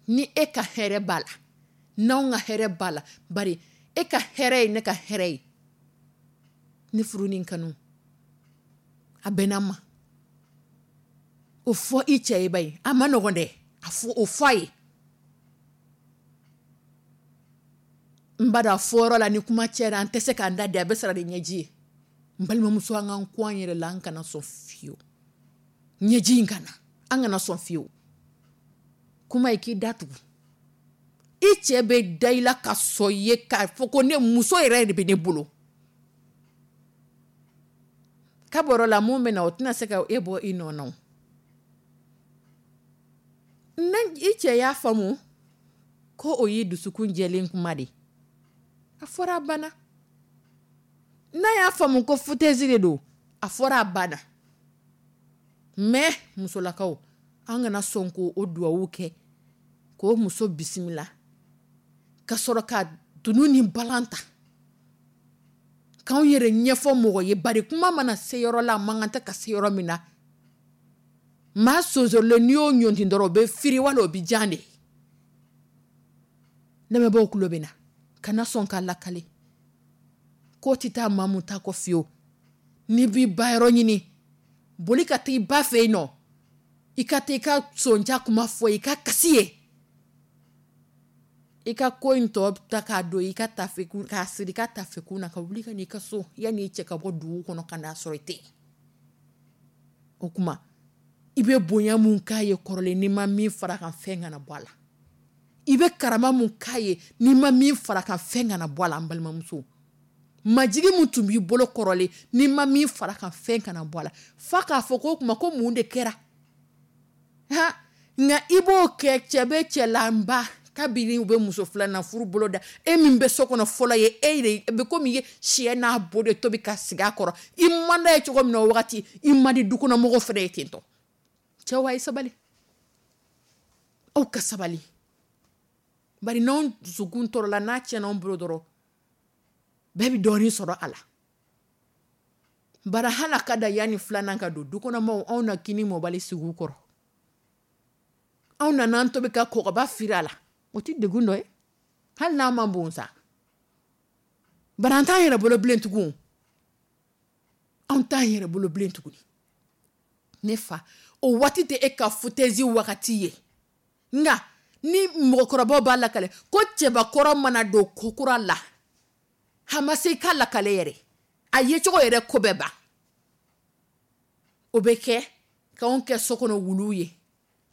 Ni e ka hɛrɛ b'a la, n'anw ka hɛrɛ b'a la, bari e ka hɛrɛ ye ne ka hɛrɛ ye. Ne furu ni kanu, a bɛnna ma. O fɔ i cɛ ye, ba ye, a ma nɔgɔn dɛ. A fɔ, o fɔ a ye. N ba dɔn a fɔyɔrɔ la, ni kuma cɛra, an tɛ se k'an da di, a bɛ sara ni ɲɛji ye. N balimamuso, an k'an ko an yɛrɛ la, an kana sɔn fiyewu ɲɛji in ka na, an kana sɔn fiyewu. Kuma ye k'i da tugu, i cɛ bɛ da i la ka sɔn i ye k'a fɔ ko ne muso yɛrɛ de bɛ ne bolo. Ka bɔrɔ la, mun bɛ na, o tɛna se ka e bɔ i nɔ na. O ne, i cɛ y'a faamu ko o y'i dusukun jɛlen kuma de, a fɔra, a banna. N'a y'a faamu ko foutaise de don, a fɔra, a banna. Mais musolakaw, an kana sɔn k'o o duwawu kɛ k'o muso bisimila ka sɔrɔ ka dunu ni balan ta k'anw yɛrɛ ɲɛfɔ mɔgɔ ye. Bari kuma mana se yɔrɔ la, a man kan tɛ ka se yɔrɔ min na, maa sonsorilen, n'i y'o ɲɔnti dɔrɔn, o bɛ firi wala o bɛ jan de. Lamɛnbaaw tulo bɛ na, kana sɔn k'a lakale k'o tɛ taa maa mun ta kɔ fiyewu. N'i b'i ba yɔrɔ ɲini, boli ka taa i ba fɛ yen nɔ, i ka taa i ka sonja kuma fɔ, i ka kasi ye, i ka ko in tɔ ta k'a don i ka tafe kun, k'a siri i ka tafe kun na, ka wuli ka n'i ka so yanni i cɛ ka bɔ dugu kɔnɔ ka n'a sɔrɔ i tɛ yen. O kuma, i bɛ bonya mun k'a ye kɔrɔlen, n'i ma min fara kan, fɛn kana bɔ a la. I bɛ karama mun k'a ye, n'i ma min fara kan, fɛn kana bɔ a la. An balimamuso, majigi mun tun b'i bolo kɔrɔlen, n'i ma min fara kan, fɛn kana bɔ a la. F'a k'a fɔ ko o kuma ko mun de kɛra? Ha, nka i b'o kɛ, cɛ bɛ cɛ la, n ba Kabini u bɛ muso filanan furu bolo da, e min bɛ so kɔnɔ fɔlɔ ye, e de bɛ komi ye sɛ n'a bo de tobi ka sigi a kɔrɔ. I man d'a ye cogo min na o wagati, i man di dukɔnɔmɔgɔw fana ye ten tɔ. Cɛw, a ye sabali, aw ka sabali, bari n'anw dusukun tɔɔrɔla, n'a tiɲɛna anw bolo dɔrɔn, bɛɛ bɛ dɔɔnin sɔrɔ a la. Bari hali a ka da yanni filanan ka don, dukɔnɔmɔgɔw, anw na kini mɔbali sigi u kɔrɔ, anw nana an tobi ka kɔgɔba firi a la, o tɛ degun dɔ ye, hali n'a ma bon sa. Bari an t'an yɛrɛ bolo bilen tugun, anw t'an yɛrɛ bolo bilen tuguni. Ne fa, o waati tɛ e ka foutaise wagati ye. Nka ni mɔgɔkɔrɔbaw b'a lakale ko cɛbakɔrɔ mana don ko kura la, a ma se i ka lakale yɛrɛ, a yecogo yɛrɛ ko bɛɛ ban. O bɛ kɛ k'anw kɛ so kɔnɔ wuluw ye,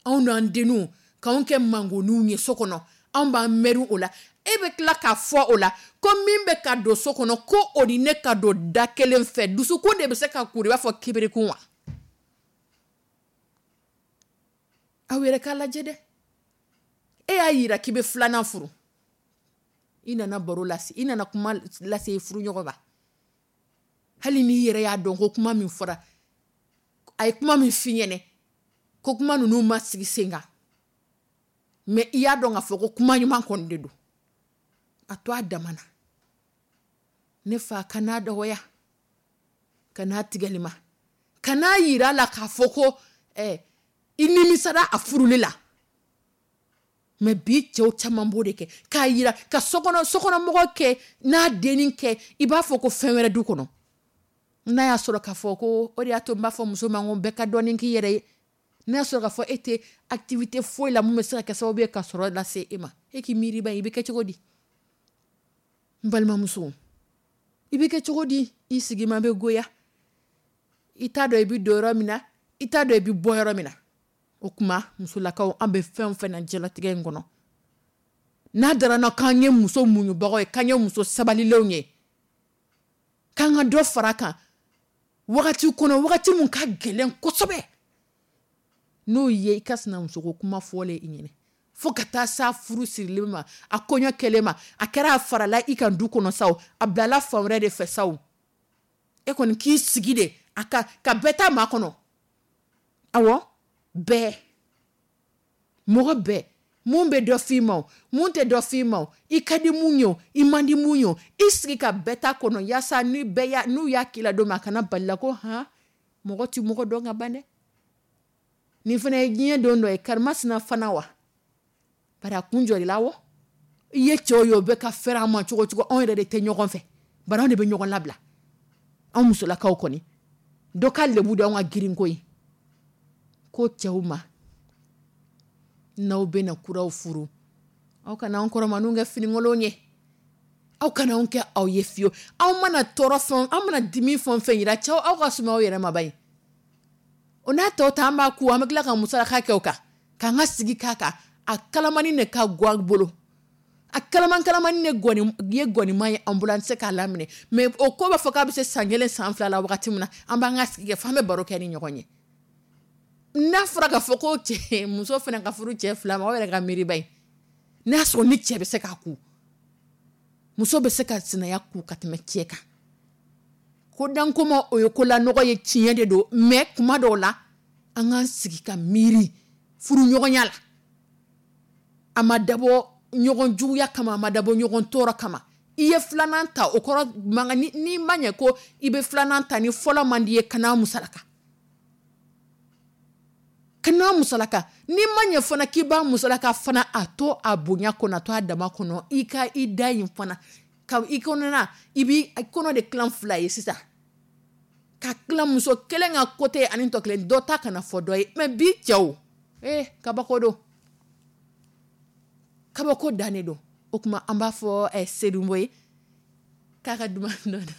anw n'an denninw k'anw kɛ mangoninw ye so kɔnɔ, anw b'an mɛri o la. E bɛ tila k'a fɔ o la ko min bɛ ka don so kɔnɔ, ko o ni ne ka don da kelen fɛ, dusukun de bɛ se ka kuru i b'a fɔ kibirikun wa? Aw yɛrɛ k'a lajɛ dɛ. E y'a yira k'i bɛ filanan furu, i nana baro lase, i nana kuma lase i furuɲɔgɔn ma, hali n'i yɛrɛ y'a dɔn ko kuma min fɔra, a ye kuma min f'i ɲɛnɛ, ko kuma ninnu ma sigi sen kan, mais i y'a dɔn k'a fɔ ko kuma ɲuman kɔni de don, a to a dama na. Ne fa, kan'a dɔgɔya, kan'a tigɛli ma, kan'a yira a la k'a fɔ ko eh, i nimisara a furuli la. Mais bi cɛw caman b'o de kɛ k'a yira ka sokɔnɔ sokɔnɔmɔgɔ kɛ n'a dennin kɛ i b'a fɔ ko fɛn wɛrɛ du kɔnɔ. N'a y'a sɔrɔ k'a fɔ ko o de y'a to n b'a fɔ muso ma ko bɛɛ ka dɔɔnin k'i yɛrɛ ye. N'a y'a sɔrɔ k'a fɔ e tɛ activité foyi la mun bɛ se ka kɛ sababu ye ka sɔrɔ lase e ma, e k'i miiri ba ye, i bɛ kɛ cogo di? N balimamuso, i bɛ kɛ cogo di? I sigi ma bɛ goya, i t'a dɔn i bɛ don yɔrɔ min na, i t'a dɔn i bɛ bɔ yɔrɔ min na. O tuma musolakaw, an bɛ fɛn o fɛn na diɲɛlatigɛ in kɔnɔ, n'a dara n na k'an ye muso muɲubagaw ye, k'an ye muso sabalilenw ye, k'an ka dɔ fara a kan wagati kɔnɔ, wagati mun ka gɛlɛn kosɛbɛ, n'o ye i ka sinamusoko kuma fɔlen i ɲɛnɛ, fo ka taa s'a furu sirili ma, a kɔɲɔ kɛlen ma, a kɛra a farala i kan du kɔnɔ sa o, a bilala fan wɛrɛ de fɛ sa o, e kɔni k'i sigi de a ka ka bɛɛ ta maa kɔnɔ. Awɔ, bɛɛ, mɔgɔ bɛɛ, mun bɛ dɔ f'i ma o, mun tɛ dɔ f'i ma o, i ka di mun ye o, i man di mun ye o, i sigi ka bɛɛ ta kɔnɔ, yaasa ni bɛɛ y'a, n'u y'a k'i la don min, a kana bali la ko han, mɔgɔ ti mɔgɔ dɔn ka ban dɛ. Nin fana ye diɲɛ don dɔ ye, karimasina fana wa, bari a kun jɔr'i la wɔ. I ye cɛw ye, o bɛ ka fɛrɛ an ma cogo cogo, anw yɛrɛ de tɛ ɲɔgɔn fɛ, bari anw de bɛ ɲɔgɔn labila. Anw musolakaw kɔni, dɔ ka lebu de anw ka girinko ye. Ko cɛw ma, n'aw bɛna kuraw furu, aw kana anw kɔrɔmaninw kɛ finikolon ye, aw kana anw kɛ aw ye fiyewu. Aw mana tɔɔrɔ fɛn, aw mana dimi fɛn o fɛn yira cɛw, aw ka suma aw yɛrɛ ma ba ye. O n'a tɔ ta, an b'a ku, an bɛ tila ka musalaka kɛ o kan, k'an ka sigi k'a kan. A kalamani de ka go an bolo, a kalaman kalamani de gɔni, ye gɔnima ye an bolo, an tɛ se k'a laminɛ. Mais o ko b'a fɔ k'a bɛ se san kelen san fila la wagati min na, an b'an ka sigi kɛ f'an bɛ baro kɛ ni ɲɔgɔn ye. N'a fɔra k'a fɔ ko cɛ, muso fana ka furu cɛ fila ma, aw yɛrɛ ka miiriba ye. N'a sɔrɔ ni cɛ bɛ se k'a ku, muso bɛ se ka sinaya ku ka tɛmɛ cɛ kan. Ko dankoma o ye ko lanɔgɔ ye, tiɲɛ de don, mais kuma dɔw la an k'an sigi ka miiri furuɲɔgɔnya la. A ma dabɔ ɲɔgɔn juguya kama, a ma dabɔ ɲɔgɔn tɔɔrɔ kama. I ye filanan ta, o kɔrɔ mankan ni, n'i ma ɲɛ ko i bɛ filanan ta ni fɔlɔ man di ye, kana musalaka. Kana musalaka. N'i ma ɲɛ fana k'i b'a musalaka fana, a to a bonya kɔnɔ, a to a dama kɔnɔ, i ka i da yen fana. Ka i kɔnɔna, i b'i kɔnɔ de tilan fila ye sisan. Ka tilan muso kelen ka côté ani tɔ kelen, dɔ ta kana fɔ dɔ ye. Mais bi cɛw, eh, kabako don. Kabako dannen don. O tuma an b'a fɔ, eh, Sedumbo ye k'a ka duman dɔ dun.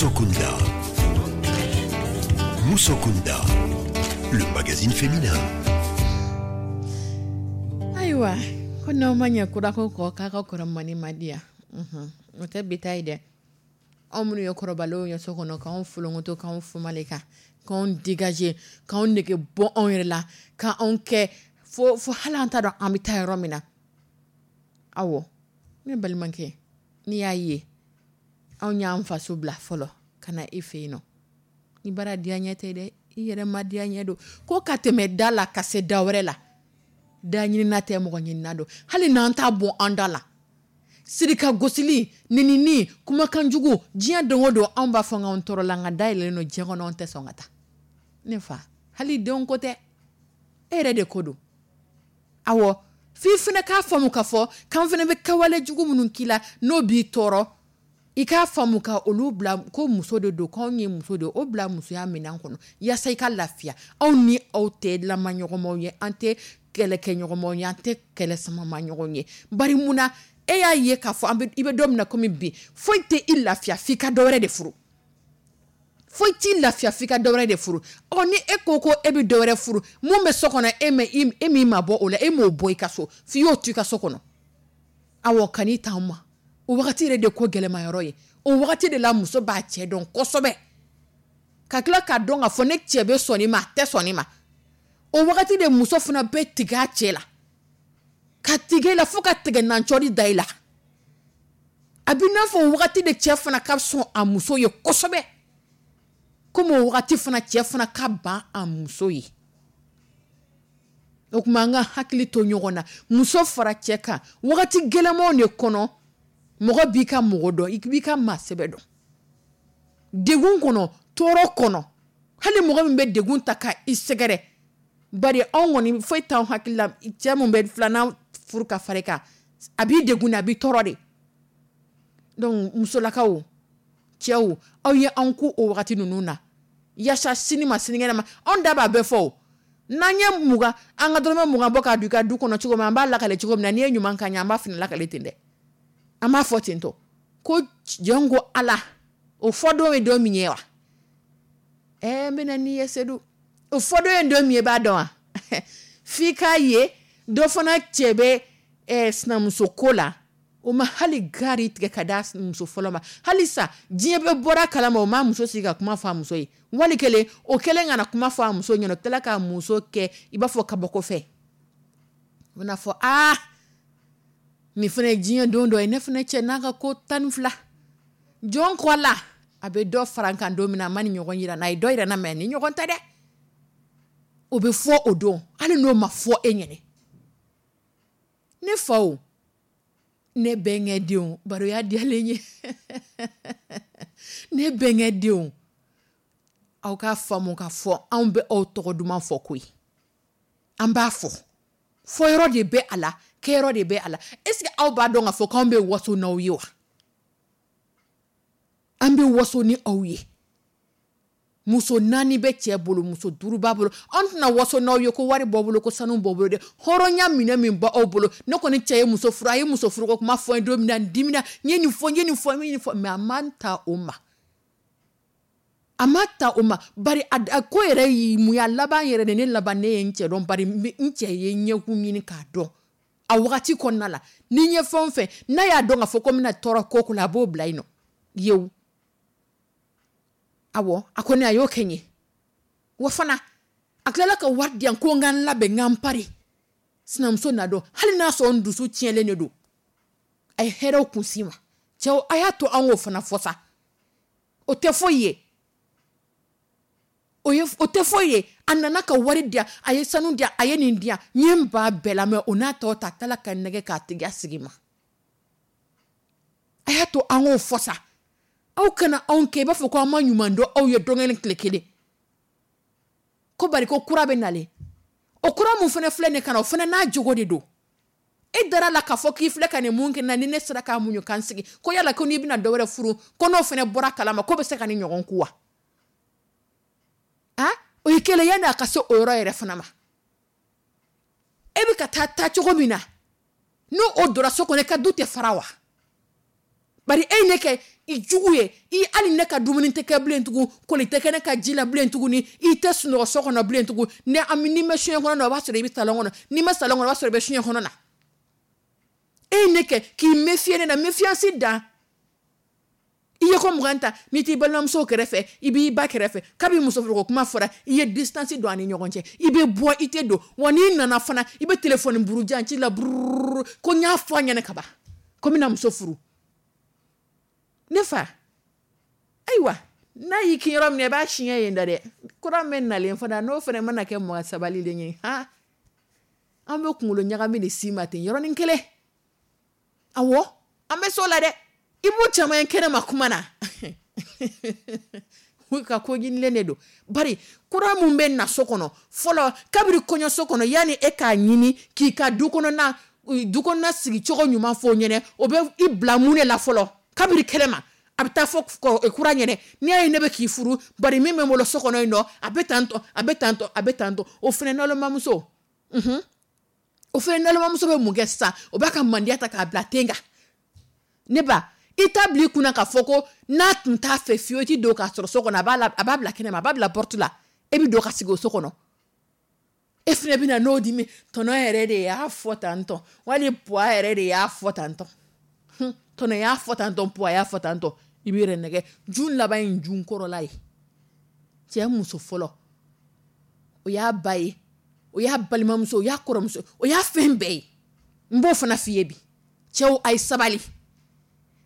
Musokunda. Musokunda, le magazine féminin. Ayiwa, ko n'aw ma ɲɛ kurako kɔ, k'a ka kɔrɔ mani ma di yan. O tɛ bi ta ye dɛ. Anw minnu ye kɔrɔbalenw ye so kɔnɔ, k'anw folonkoto, k'anw fumale kan, k'anw dégager, k'anw nege bɔ anw yɛrɛ la, k'anw kɛ fo fo hali an t'a dɔn an bɛ taa yɔrɔ min na. Awɔ, ne balimakɛ, n'i y'a ye anw y'an faso bila fɔlɔ ka na i fɛ yen nɔ, ni baara diya ɲɛ tɛ dɛ, i yɛrɛ ma diya ɲɛ don ko ka tɛmɛ da la ka se da wɛrɛ la. Da ɲinina tɛ, mɔgɔ ɲinina don. Hali n'an t'a bɔ an da la, sirika gosili, nenini, kumakanjugu, diɲɛ don o don anw b'a fɔ k'anw tɔɔrɔ la, nka da yɛlɛlen don diɲɛ kɔnɔ, anw tɛ sɔn ka taa. Ne fa, hali denw ko tɛ, e yɛrɛ de ko don. Awɔ, f'i fana k'a faamu k'a fɔ k'an fana bɛ kɛwale jugu minnu k'i la, n'o b'i tɔɔrɔ, i k'a faamu ka olu bila ko muso de don, k'anw ye muso de ye, o bila musoya minɛn kɔnɔ yaasa i ka lafiya. Anw ni aw tɛ lamaɲɔgɔnmaw ye, an tɛ kɛlɛkɛɲɔgɔnmaw ye, an tɛ kɛlɛ samama ɲɔgɔn ye. Bari mun na e y'a ye k'a fɔ an bɛ, i bɛ don min na komi bi, foyi tɛ i lafiya f'i ka dɔ wɛrɛ de furu. Foyi t'i lafiya f'i ka dɔ wɛrɛ de furu. Ɔ, ni e ko ko e bɛ dɔ wɛrɛ furu, mun bɛ so kɔnɔ, e ma e m'i mabɔ o la, e m'o bɔ i ka so, f'i y'o to i ka so kɔnɔ. Awɔ, kan'i t'anw ma. O wagati yɛrɛ de ko gɛlɛma yɔrɔ ye. O wagati de la muso b'a cɛ dɔn kosɛbɛ, ka tila k'a dɔn k'a fɔ ne cɛ bɛ sɔn nin ma, a tɛ sɔn nin ma. O wagati de muso fana bɛ tigɛ a cɛ la, ka tigɛ i la fo ka tigɛ nancɔri da i la. A bɛ n'a fɔ o wagati de cɛ fana ka sɔn a muso ye kosɛbɛ, komi o wagati fana cɛ fana ka ban a muso ye. O tuma an ka hakili to ɲɔgɔn na, muso fara cɛ kan wagati gɛlɛmanw de kɔnɔ. Mɔgɔ b'i ka mɔgɔ dɔn, i b'i ka maa sɛbɛ dɔn. Degun kɔnɔ, tɔɔrɔ kɔnɔ, hali mɔgɔ min bɛ degun ta ka i sɛgɛrɛ, bari anw kɔni foyi t'anw hakili la, cɛ mun bɛ filanan furu ka fara i kan, a b'i degun de, a b'i tɔɔrɔ de. Donc musolakaw, cɛw, aw ye anw ku o wagati ninnu na yaasa sini ma sinikɛnɛ ma, anw da b'a bɛɛ fɔ o. N'an ye mugan, an ka dɔrɔmɛ mugan bɔ k'a don i ka du kɔnɔ cogo min, an b'a lakale cogo min na, n'i ye ɲuman k'an ye, an b'a fana lakale ten dɛ. An b'a fɔ ten tɔ ko jɔn ko Ala, o fɔ don ye don min ye wa? Ɛɛ, n bɛna n'i ye Sedu, o fɔ don ye don min ye, i b'a dɔn wa? F'i k'a ye dɔ fana cɛ bɛ ɛɛ sinamuso ko la, o ma hali gari tigɛ ka d'a muso fɔlɔ ma. Hali sa diɲɛ bɛɛ bɔra kalama, o ma muso sigi ka kuma fɔ a muso ye. Wali kelen o kɛlen ka na kuma fɔ a muso ɲɛna, o tilala k'a muso kɛ i b'a fɔ kabako fɛn. O bɛna fɔ aa, nin fana ye diɲɛ don dɔ ye, ne fana cɛ n'a ka ko tan ni fila. Jɔn kɔ la, a bɛ dɔ fara n kan don min na, a ma ni ɲɔgɔn yira n na, a ye dɔ yira n na, mɛ ni ɲɔgɔn tɛ dɛ. O bɛ fɔ o don, hali n'o ma fɔ e ɲɛnɛ. Ne faw, ne bɛnkɛ denw, baroya diyalen ye. Ne bɛnkɛ denw, aw k'a faamu k'a fɔ anw bɛ aw tɔgɔ duman fɔ koyi. An b'a fɔ. Fɔyɔrɔ de bɛ a la, kɛyɔrɔ de bɛ a la. Est-ce que aw b'a dɔn k'a fɔ k'anw bɛ waso n'aw ye wa? An bɛ waso ni aw ye. Muso naani bɛ cɛ bolo, muso duuru b'a bolo. Anw tɛna waso n'aw ye ko wari b'aw bolo, ko sanu b'aw bolo dɛ. Hɔrɔnya minɛ min b'aw bolo. Ne kɔni cɛ ye muso furu, a ye muso furu ko kuma fɔ n ye don min na, n dimina, n ye nin fɔ, n ye nin fɔ, n ye nin fɔ, mais a man ta o ma. A ma ta o ma, bari a, a ko yɛrɛ y'i mun ye, a laban yɛrɛ de, ne laban ne ye n cɛ dɔn, bari n cɛ ye ɲɛkun ɲini k'a dɔn. A wagati kɔnɔna la, ni n ye fɛn o fɛn, n'a y'a dɔn k'a fɔ ko n bɛna tɔɔrɔ ko ko la, a b'o bila yen nɔ. Yewu. Awɔ, a kɔni a y'o kɛ n ye. Wa fana, a tilala ka wari di yan ko n ka n labɛn, n ka n pari. Sinamuso na dɔn, hali n'a sɔrɔ n dusu tiɲɛlen de don. A ye hɛrɛw kun si ma. Cɛw, a y'a to an k'o fana fɔ sa. O tɛ foyi ye. O ye, o tɛ foyi ye. A nana ka wari di yan, a ye sanu di yan, a ye nin di yan. N ye n ba bɛɛ la, mɛ o n'a tɔ ta, a tilala ka nɛgɛ k'a tigiya sigi ma. A y'a to an k'o fɔ sa. Aw kana anw kɛ i b'a fɔ ko an ma ɲuman dɔn aw ye don kelen tile kelen. Ko bari ko kura bɛ nalen. O kura mun fana filɛ nin ka na, o fana n'a jogo de don. E dara la k'a fɔ k'i filɛ ka nin mun kɛ na, ni ne sera k'a muɲu k'an sigi. Ko yala ko n'i bɛna dɔ wɛrɛ furu, ko n'o fana bɔra kalama, ko bɛ se ka nin ɲɔgɔn ku wa? Ah, o ye kelen yanni a ka se o yɔrɔ yɛrɛ fana ma. E bɛ ka taa taa cogo min na, n'o o donna so kɔnɔ, i ka du tɛ fara wa? Bari e ye ne kɛ I jugu ye. I hali ne ka dumuni tɛ kɛ bilen tugun, koli tɛ kɛ ne ka ji la bilen tuguni, i tɛ sunɔgɔ so kɔnɔ bilen tugun. Ni n'i ma soɲɛ kɔnɔ na, o b'a sɔrɔ i bɛ salon kɔnɔ. N'i ma salon kɔnɔ, o b'a sɔrɔ i bɛ soɲɛ kɔnɔ na. E ye ne kɛ k'i méfier ne na, méfiance dan. I ye ko mugan ta, n'i t'i balimamuso kɛrɛfɛ, i b'i ba kɛrɛfɛ. Kabi muso furuko kuma fɔra, i ye distance don a ni ɲɔgɔn cɛ. I bɛ bɔ, i tɛ don. Wa n'i nana fana, i bɛ téléphone burujan ci la burururu ko n y'a fɔ a ɲɛna ka ban ko n bɛna muso furu. Ne fa, ayiwa, n'a y'i kin yɔrɔ min na, i b'a siɲɛ yen da dɛ. Kura min nalen fana, n'o fana mana kɛ mɔgɔ sabalilen ye, han, an bɛ kunkolo ɲagami de s'i ma ten yɔrɔnin kelen. Awɔ, an bɛ s'o la dɛ. I b'o caman ye kɛnɛma kuma na. Ka ko ɲinilen de don. Bari kura mun bɛ na so kɔnɔ fɔlɔ, kabiri kɔɲɔso kɔnɔ, yanni e k'a ɲini k'i ka du kɔnɔna du kɔnɔna sigicogo ɲuman fɔ o ɲɛnɛ, o bɛ i bila mun de la fɔlɔ kabiri kɛnɛma, a bɛ taa fɔ kura ɲɛnɛ. N'i y'a ye ne bɛ k'i furu, bari min bɛ n bolo so kɔnɔ yen nɔ, a bɛ tan tɔ, a bɛ tan tɔ, a bɛ tan tɔ. O fana nalomamuso, unhun, o fana nalomamuso bɛ mun kɛ sisan? O b'a ka mandiya ta k'a bila ten kan. Ne ba, i t'a bila i kunna k'a fɔ ko n'a tun t'a fɛ fiyewu, i ti don k'a sɔrɔ so kɔnɔ, a b'a la, a b'a bila kɛnɛma, a b'a bila porte la, e bɛ don ka sigi o so kɔnɔ. E fana bɛ na n'o dimi, tɔnɔ yɛrɛ de y'a fɔ tan tɔ, wali puwa yɛrɛ de y'a fɔ tan tɔ, tɔnɔ y'a fɔ tan tɔ, puwa y'a fɔ tan tɔ. I b'i yɛrɛ nɛgɛ. Jun laban ye jun kɔrɔla ye. Cɛ muso fɔlɔ, o y'a ba ye, o y'a balimamuso, o y'a kɔrɔmuso, o y'a fɛn bɛɛ ye. N b'o fana f'i ye bi. Cɛw, a ye sabali,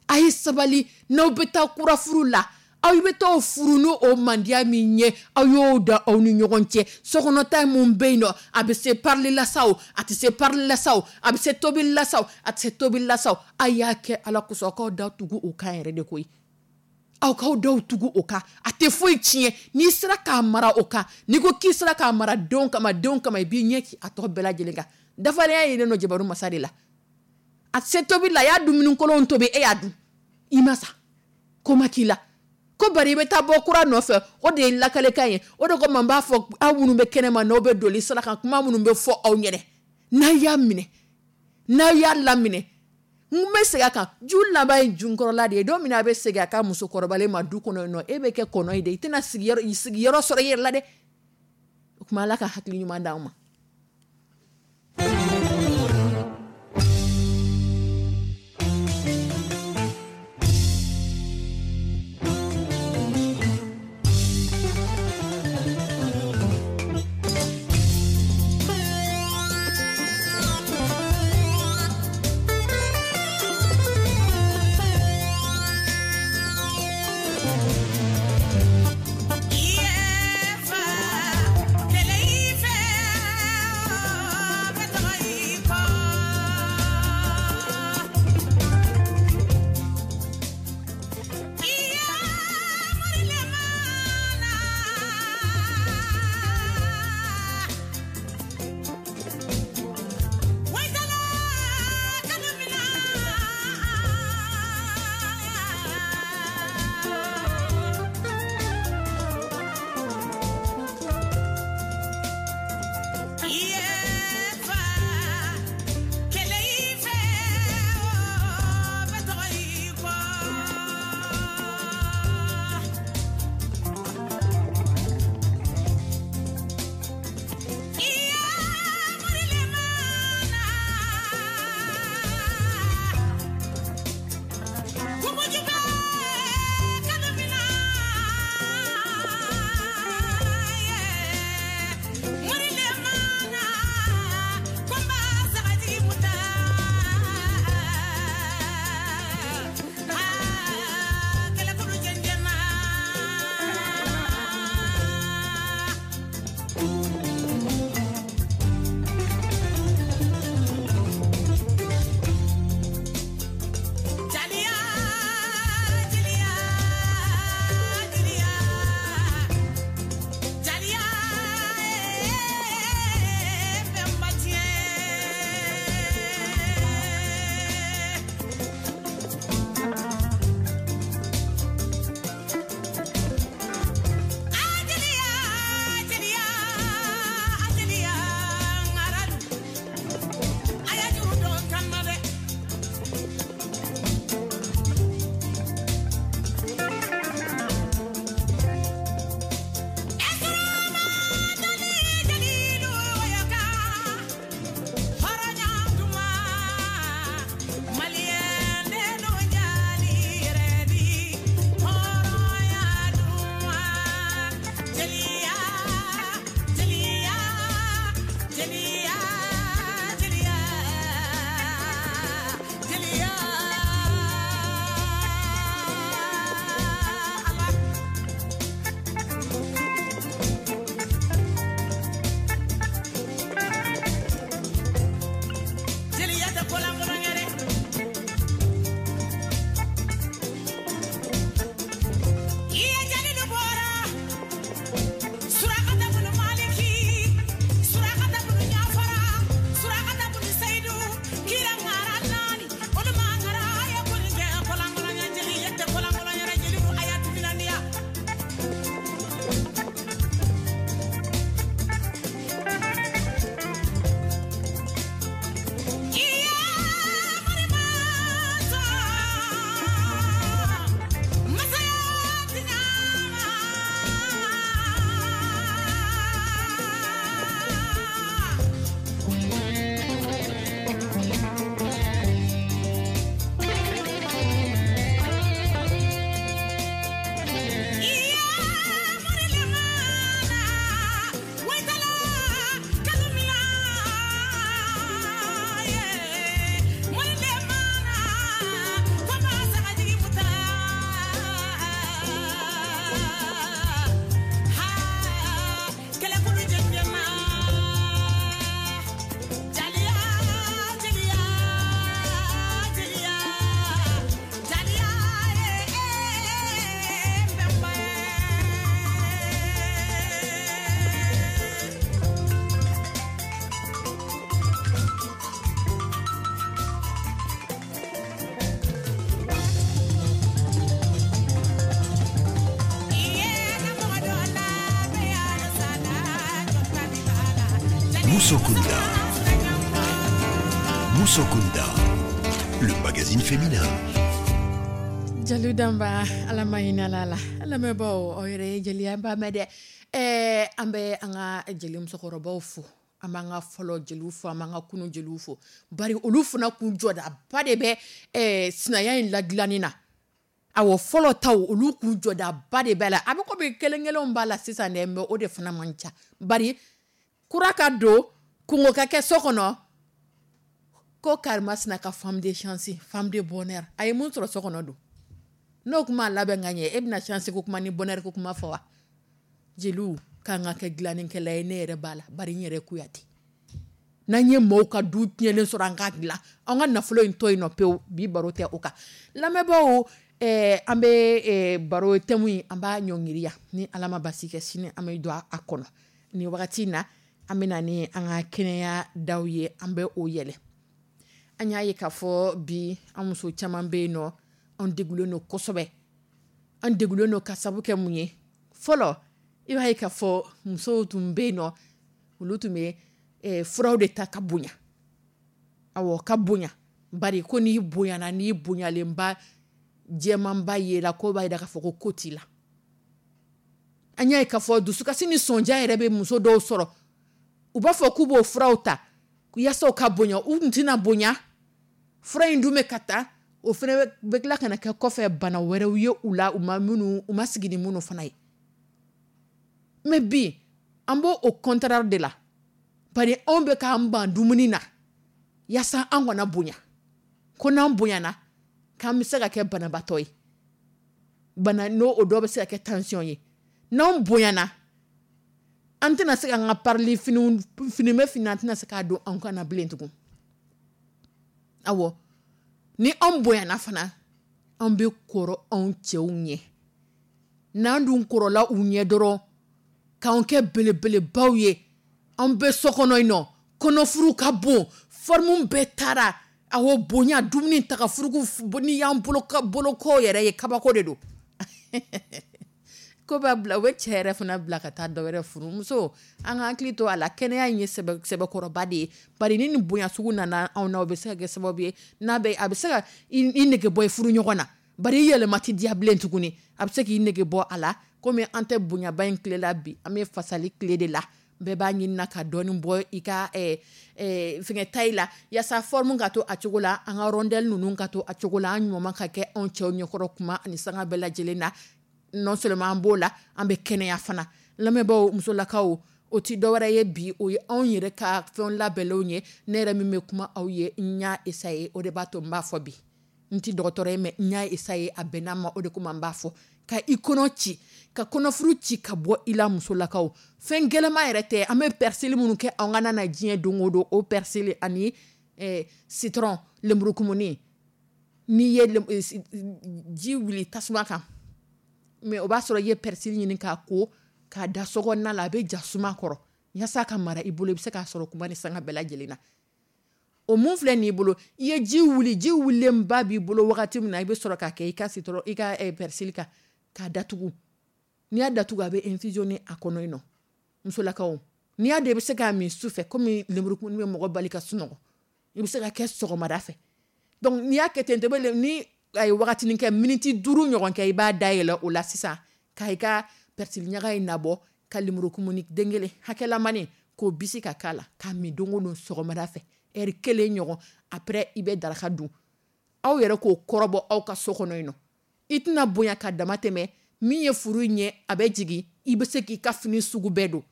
a ye sabali. N'aw bɛ taa kura furu la, aw bɛ taa furu n'o o mandiya min ye, aw y'o da aw ni ɲɔgɔn cɛ. Sokɔnɔta mun bɛ yen nɔ, a bɛ se parili la sa o, a tɛ se parili la sa o, a bɛ se tobili la sa o, a tɛ se tobili la sa o, a y'a kɛ Ala kosɔn, aw k'aw da tugu o kan yɛrɛ de koyi. Aw k'aw daw tugu o kan, a tɛ foyi tiɲɛ. N'i sera k'a mara o kan, n'i ko k'i sera k'a mara denw kama, denw kama, i b'i ɲɛ ci a tɔ bɛɛ lajɛlen kan. Dafalenya yelen don jabaru masa de la. A tɛ se tobili la, a y'a dumuni kolonw tobi, e y'a dun, i ma sa, ko ma k'i la. Ko bari i bɛ taa bɔ kura nɔfɛ, o de ye lakalekan ye. O de kama n b'a fɔ aw minnu bɛ kɛnɛma, n'aw bɛ doli sira kan, kuma minnu bɛ fɔ aw ɲɛnɛ, n'a y'a minɛ, n'a y'a laminɛ, n bɛ segin a kan, ju laban ye junkɔrɔla de ye. Don min na a bɛ segin a ka musokɔrɔbalen ma du kɔnɔ yen nɔ, e bɛ kɛ kɔnɔ ye dɛ, i tɛna sigiyɔrɔ sigiyɔrɔ sɔrɔ i yɛrɛ la dɛ. O tuma Ala ka hakili ɲuman d'anw ma. Kɛlɛ i fɛ. Musokunda. Musokunda, le magazine féminin. Jeliw danba, Ala ma hinɛ la la. Lamɛnbaaw, aw yɛrɛ ye jeliya ba mɛn dɛ. Ɛɛ an bɛ an ka jeli musokɔrɔbaw fo, an b'an ka fɔlɔ jeliw fo, an b'an ka kunun jeliw fo, bari olu fana kun jɔdaba de bɛ ɛɛ sinaya in ladilanni na. Awɔ, fɔlɔ taw, olu kun jɔdaba de b'a la. A bɛ komi kelen kelenw b'a la sisan dɛ, mais o de fana man ca, bari kura ka don kungo ka kɛ so kɔnɔ ko karimasina ka femme de chance, femme de bonheur, a ye mun sɔrɔ so kɔnɔ don n'o kuma labɛn ka ɲɛ, e bɛna chance ko kuma ni bonheur ko kuma fɔ wa? Jeliw k'an ka kɛ dilannikɛla ye, ne yɛrɛ b'a la, bari n yɛrɛ Kuyate. N'an ye maaw ka du tiɲɛnen sɔrɔ, an k'a dilan, an ka nafolo in to yen nɔ pewu. Bi baro tɛ o kan. Lamɛnbaaw, ɛɛ an bɛ ɛɛ baro thème in, an b'a ɲɔngiri yan. Ni Ala ma basi kɛ, sini an bɛ don a kɔnɔ. Nin wagati in na, an bɛ na ni an ka kɛnɛya daw ye, an bɛ o yɛlɛ. An y'a ye k'a fɔ bi an muso caman bɛ yen nɔ, an degulen don kosɛbɛ. An degulen don ka sabu kɛ mun ye? Fɔlɔ, i b'a ye k'a fɔ musow tun bɛ yen nɔ, olu tun bɛ eh, furaw de ta ka bonya. Awɔ, ka bonya, bari ko n'i bonyana, n'i bonyalenba jɛmanba yela, ko b'a jira k'a fɔ ko ko t'i la. An y'a ye k'a fɔ dusukasi ni sɔnja yɛrɛ bɛ muso dɔw sɔrɔ, u b'a fɔ k'u b'o furaw ta yaasa u ka bonya. U tun tɛna bonya, fura in dun bɛ ka ta, o fana bɛ tila ka na kɛ kɔfɛ bana wɛrɛw ye u la, u ma minnu, u ma sigi ni minnu fana ye. Mais bi an b'o o contraire de la, bari anw bɛ k'an ban dumuni na yaasa an kana bonya, ko n'an bonyana k'an bɛ se ka kɛ banabaatɔ ye, bana n'o o dɔ bɛ se ka kɛ tension ye. N'anw bonyana, an tɛna se k'an ka parili finiw, fini bɛ fini, an tɛna se k'a don anw kan na bilen tugun. Awɔ, ni anw bonyana fana, an bɛ kɔrɔ anw cɛw ɲɛ. N'an dun kɔrɔla u ɲɛ dɔrɔn, k'anw kɛ belebelebaw ye, an bɛ so kɔnɔ yen nɔ, kɔnɔfuru ka bon, forme bɛɛ taara. Awɔ, bonya, dumuni taga furuku, n'i y'an bolo boloko yɛrɛ ye, kabako de don. Ko b'a bila, u bɛ cɛ yɛrɛ fana bila ka taa dɔ wɛrɛ furu. Muso, an ka hakili to a la, kɛnɛya in ye sɛbɛkɔrɔba de ye, bari ni nin bonya sugu nana anw na, o bɛ se ka kɛ sababu ye n'a bɛ a bɛ se ka i nege bɔ i furu ɲɔgɔn na, bari i yɛlɛma tɛ diya bilen tuguni. A bɛ se k'i nege bɔ a la. Komi an tɛ bonyaba in tile la bi, an bɛ fasali tile de la. Bɛɛ b'a ɲini na ka dɔɔnin bɔ i ka fɛngɛ taille la, yaasa forme ka to a cogo la, an ka rondelle ninnu ka to a cogo la, an ɲuman ka kɛ anw cɛw ɲɛkɔrɔ kuma ani sanga bɛɛ lajɛlen na. Non seulement an b'o la, an bɛ kɛnɛya fana. Lamɛnbaaw, musolakaw, o ti dɔwɛrɛ ye bi, o ye anw yɛrɛ ka fɛn labɛnlenw ye. Ne yɛrɛ min bɛ kuma aw ye, n y'a essayer, o de b'a to n b'a fɔ bi. N ti dɔgɔtɔrɔ ye, mais n y'a essayer, a bɛnna ma, o de kama n b'a fɔ. Ka i kɔnɔ ci, ka kɔnɔfuru ci ka bɔ i la. Musolakaw, fɛn gɛlɛma yɛrɛ tɛ. An bɛ persil minnu kɛ anw ka na na diɲɛ don o don, o persil ani eh, citron, lenburukumuni. N'i ye ji wuli tasuma kan, mais o b'a sɔrɔ i ye persil ɲini k'a ko k'a da sokɔnɔna la, a bɛ ja suma kɔrɔ yaasa ka mara i bolo, i bɛ se k'a sɔrɔ kuma ni sanga bɛɛ lajɛlen na. O mun filɛ nin bolo, i ye ji wuli, ji wulilenba b'i bolo wagati min na, i bɛ sɔrɔ k'a kɛ i ka citron, i ka persil kan k'a datugu. N'i y'a datugu, a bɛ infusionner a kɔnɔ yen nɔ. Musolakaw, n'i y'a dɔn i bɛ se k'a min su fɛ, komi lenburukumuni bɛ mɔgɔ bali ka sunɔgɔ, i bɛ se ka kɛ sɔgɔmada fɛ. Donc n'i y'a kɛ ten, ni a ye wagatinin kɛ, miniti duuru ɲɔgɔn kɛ, i b'a dayɛlɛ o la sisan ka i ka persil ɲaga in nabɔ, ka lenburukumuni den kelen hakɛlamani k'o bisi ka k'a la, k'a min don o don sɔgɔmada fɛ ɛri kelen ɲɔgɔn. Après i bɛ daraka dun. Aw yɛrɛ k'o kɔrɔbɔ aw ka so kɔnɔ yen nɔ. I tɛna bonya ka dama tɛmɛ, min ye furu in ye, a bɛ jigin, i bɛ se k'i ka fini sugu bɛɛ don,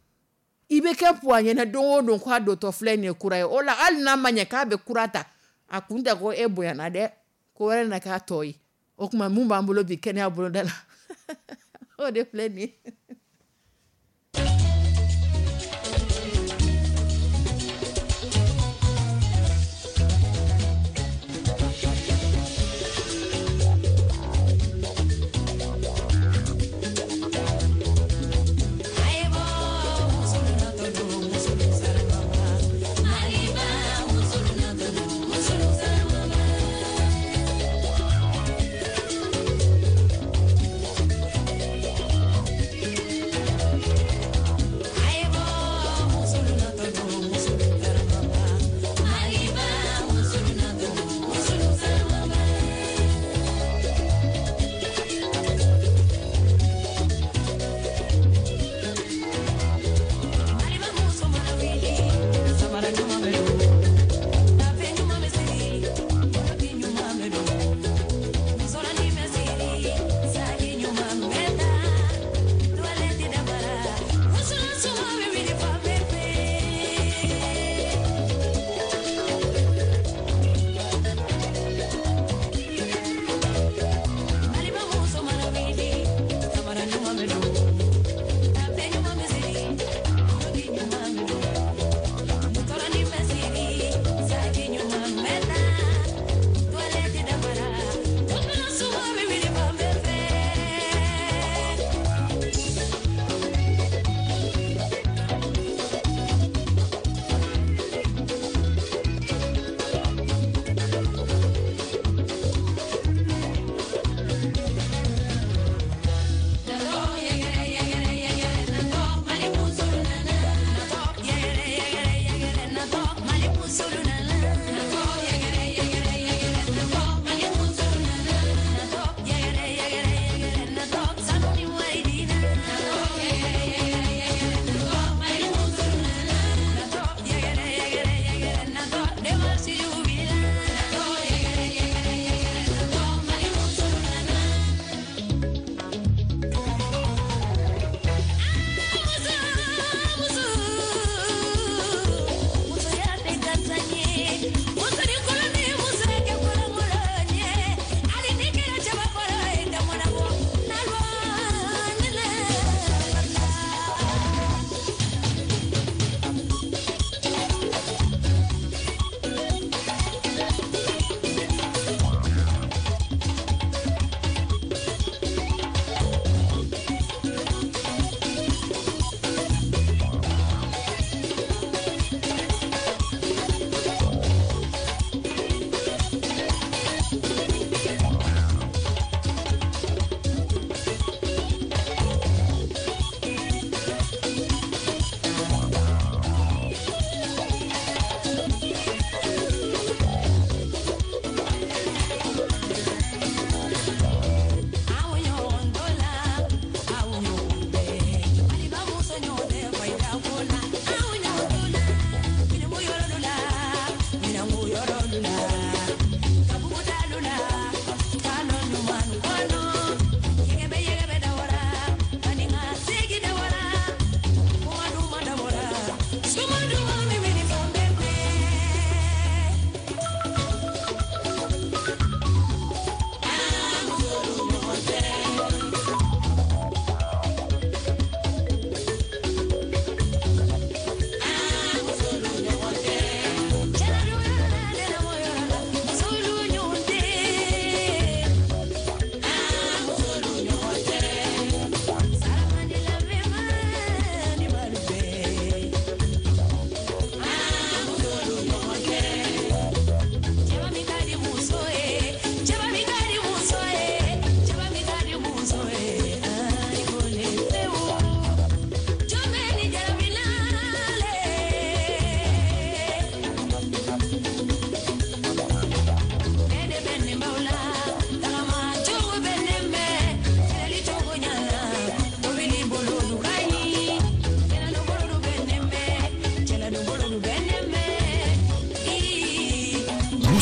i bɛ kɛ puwa ɲɛna don o don k'a dontɔ filɛ nin ye kura ye. O la, hali n'a ma ɲɛ k'a bɛ kura ta, a kun tɛ ko e bonyana dɛ, ko wɛrɛ na k'a tɔ ye. O tuma mun b'an bolo bi kɛnɛya boloda la, o de filɛ nin ye.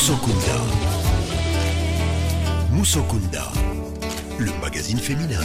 Musokunda. Musokunda, le magazine féminin.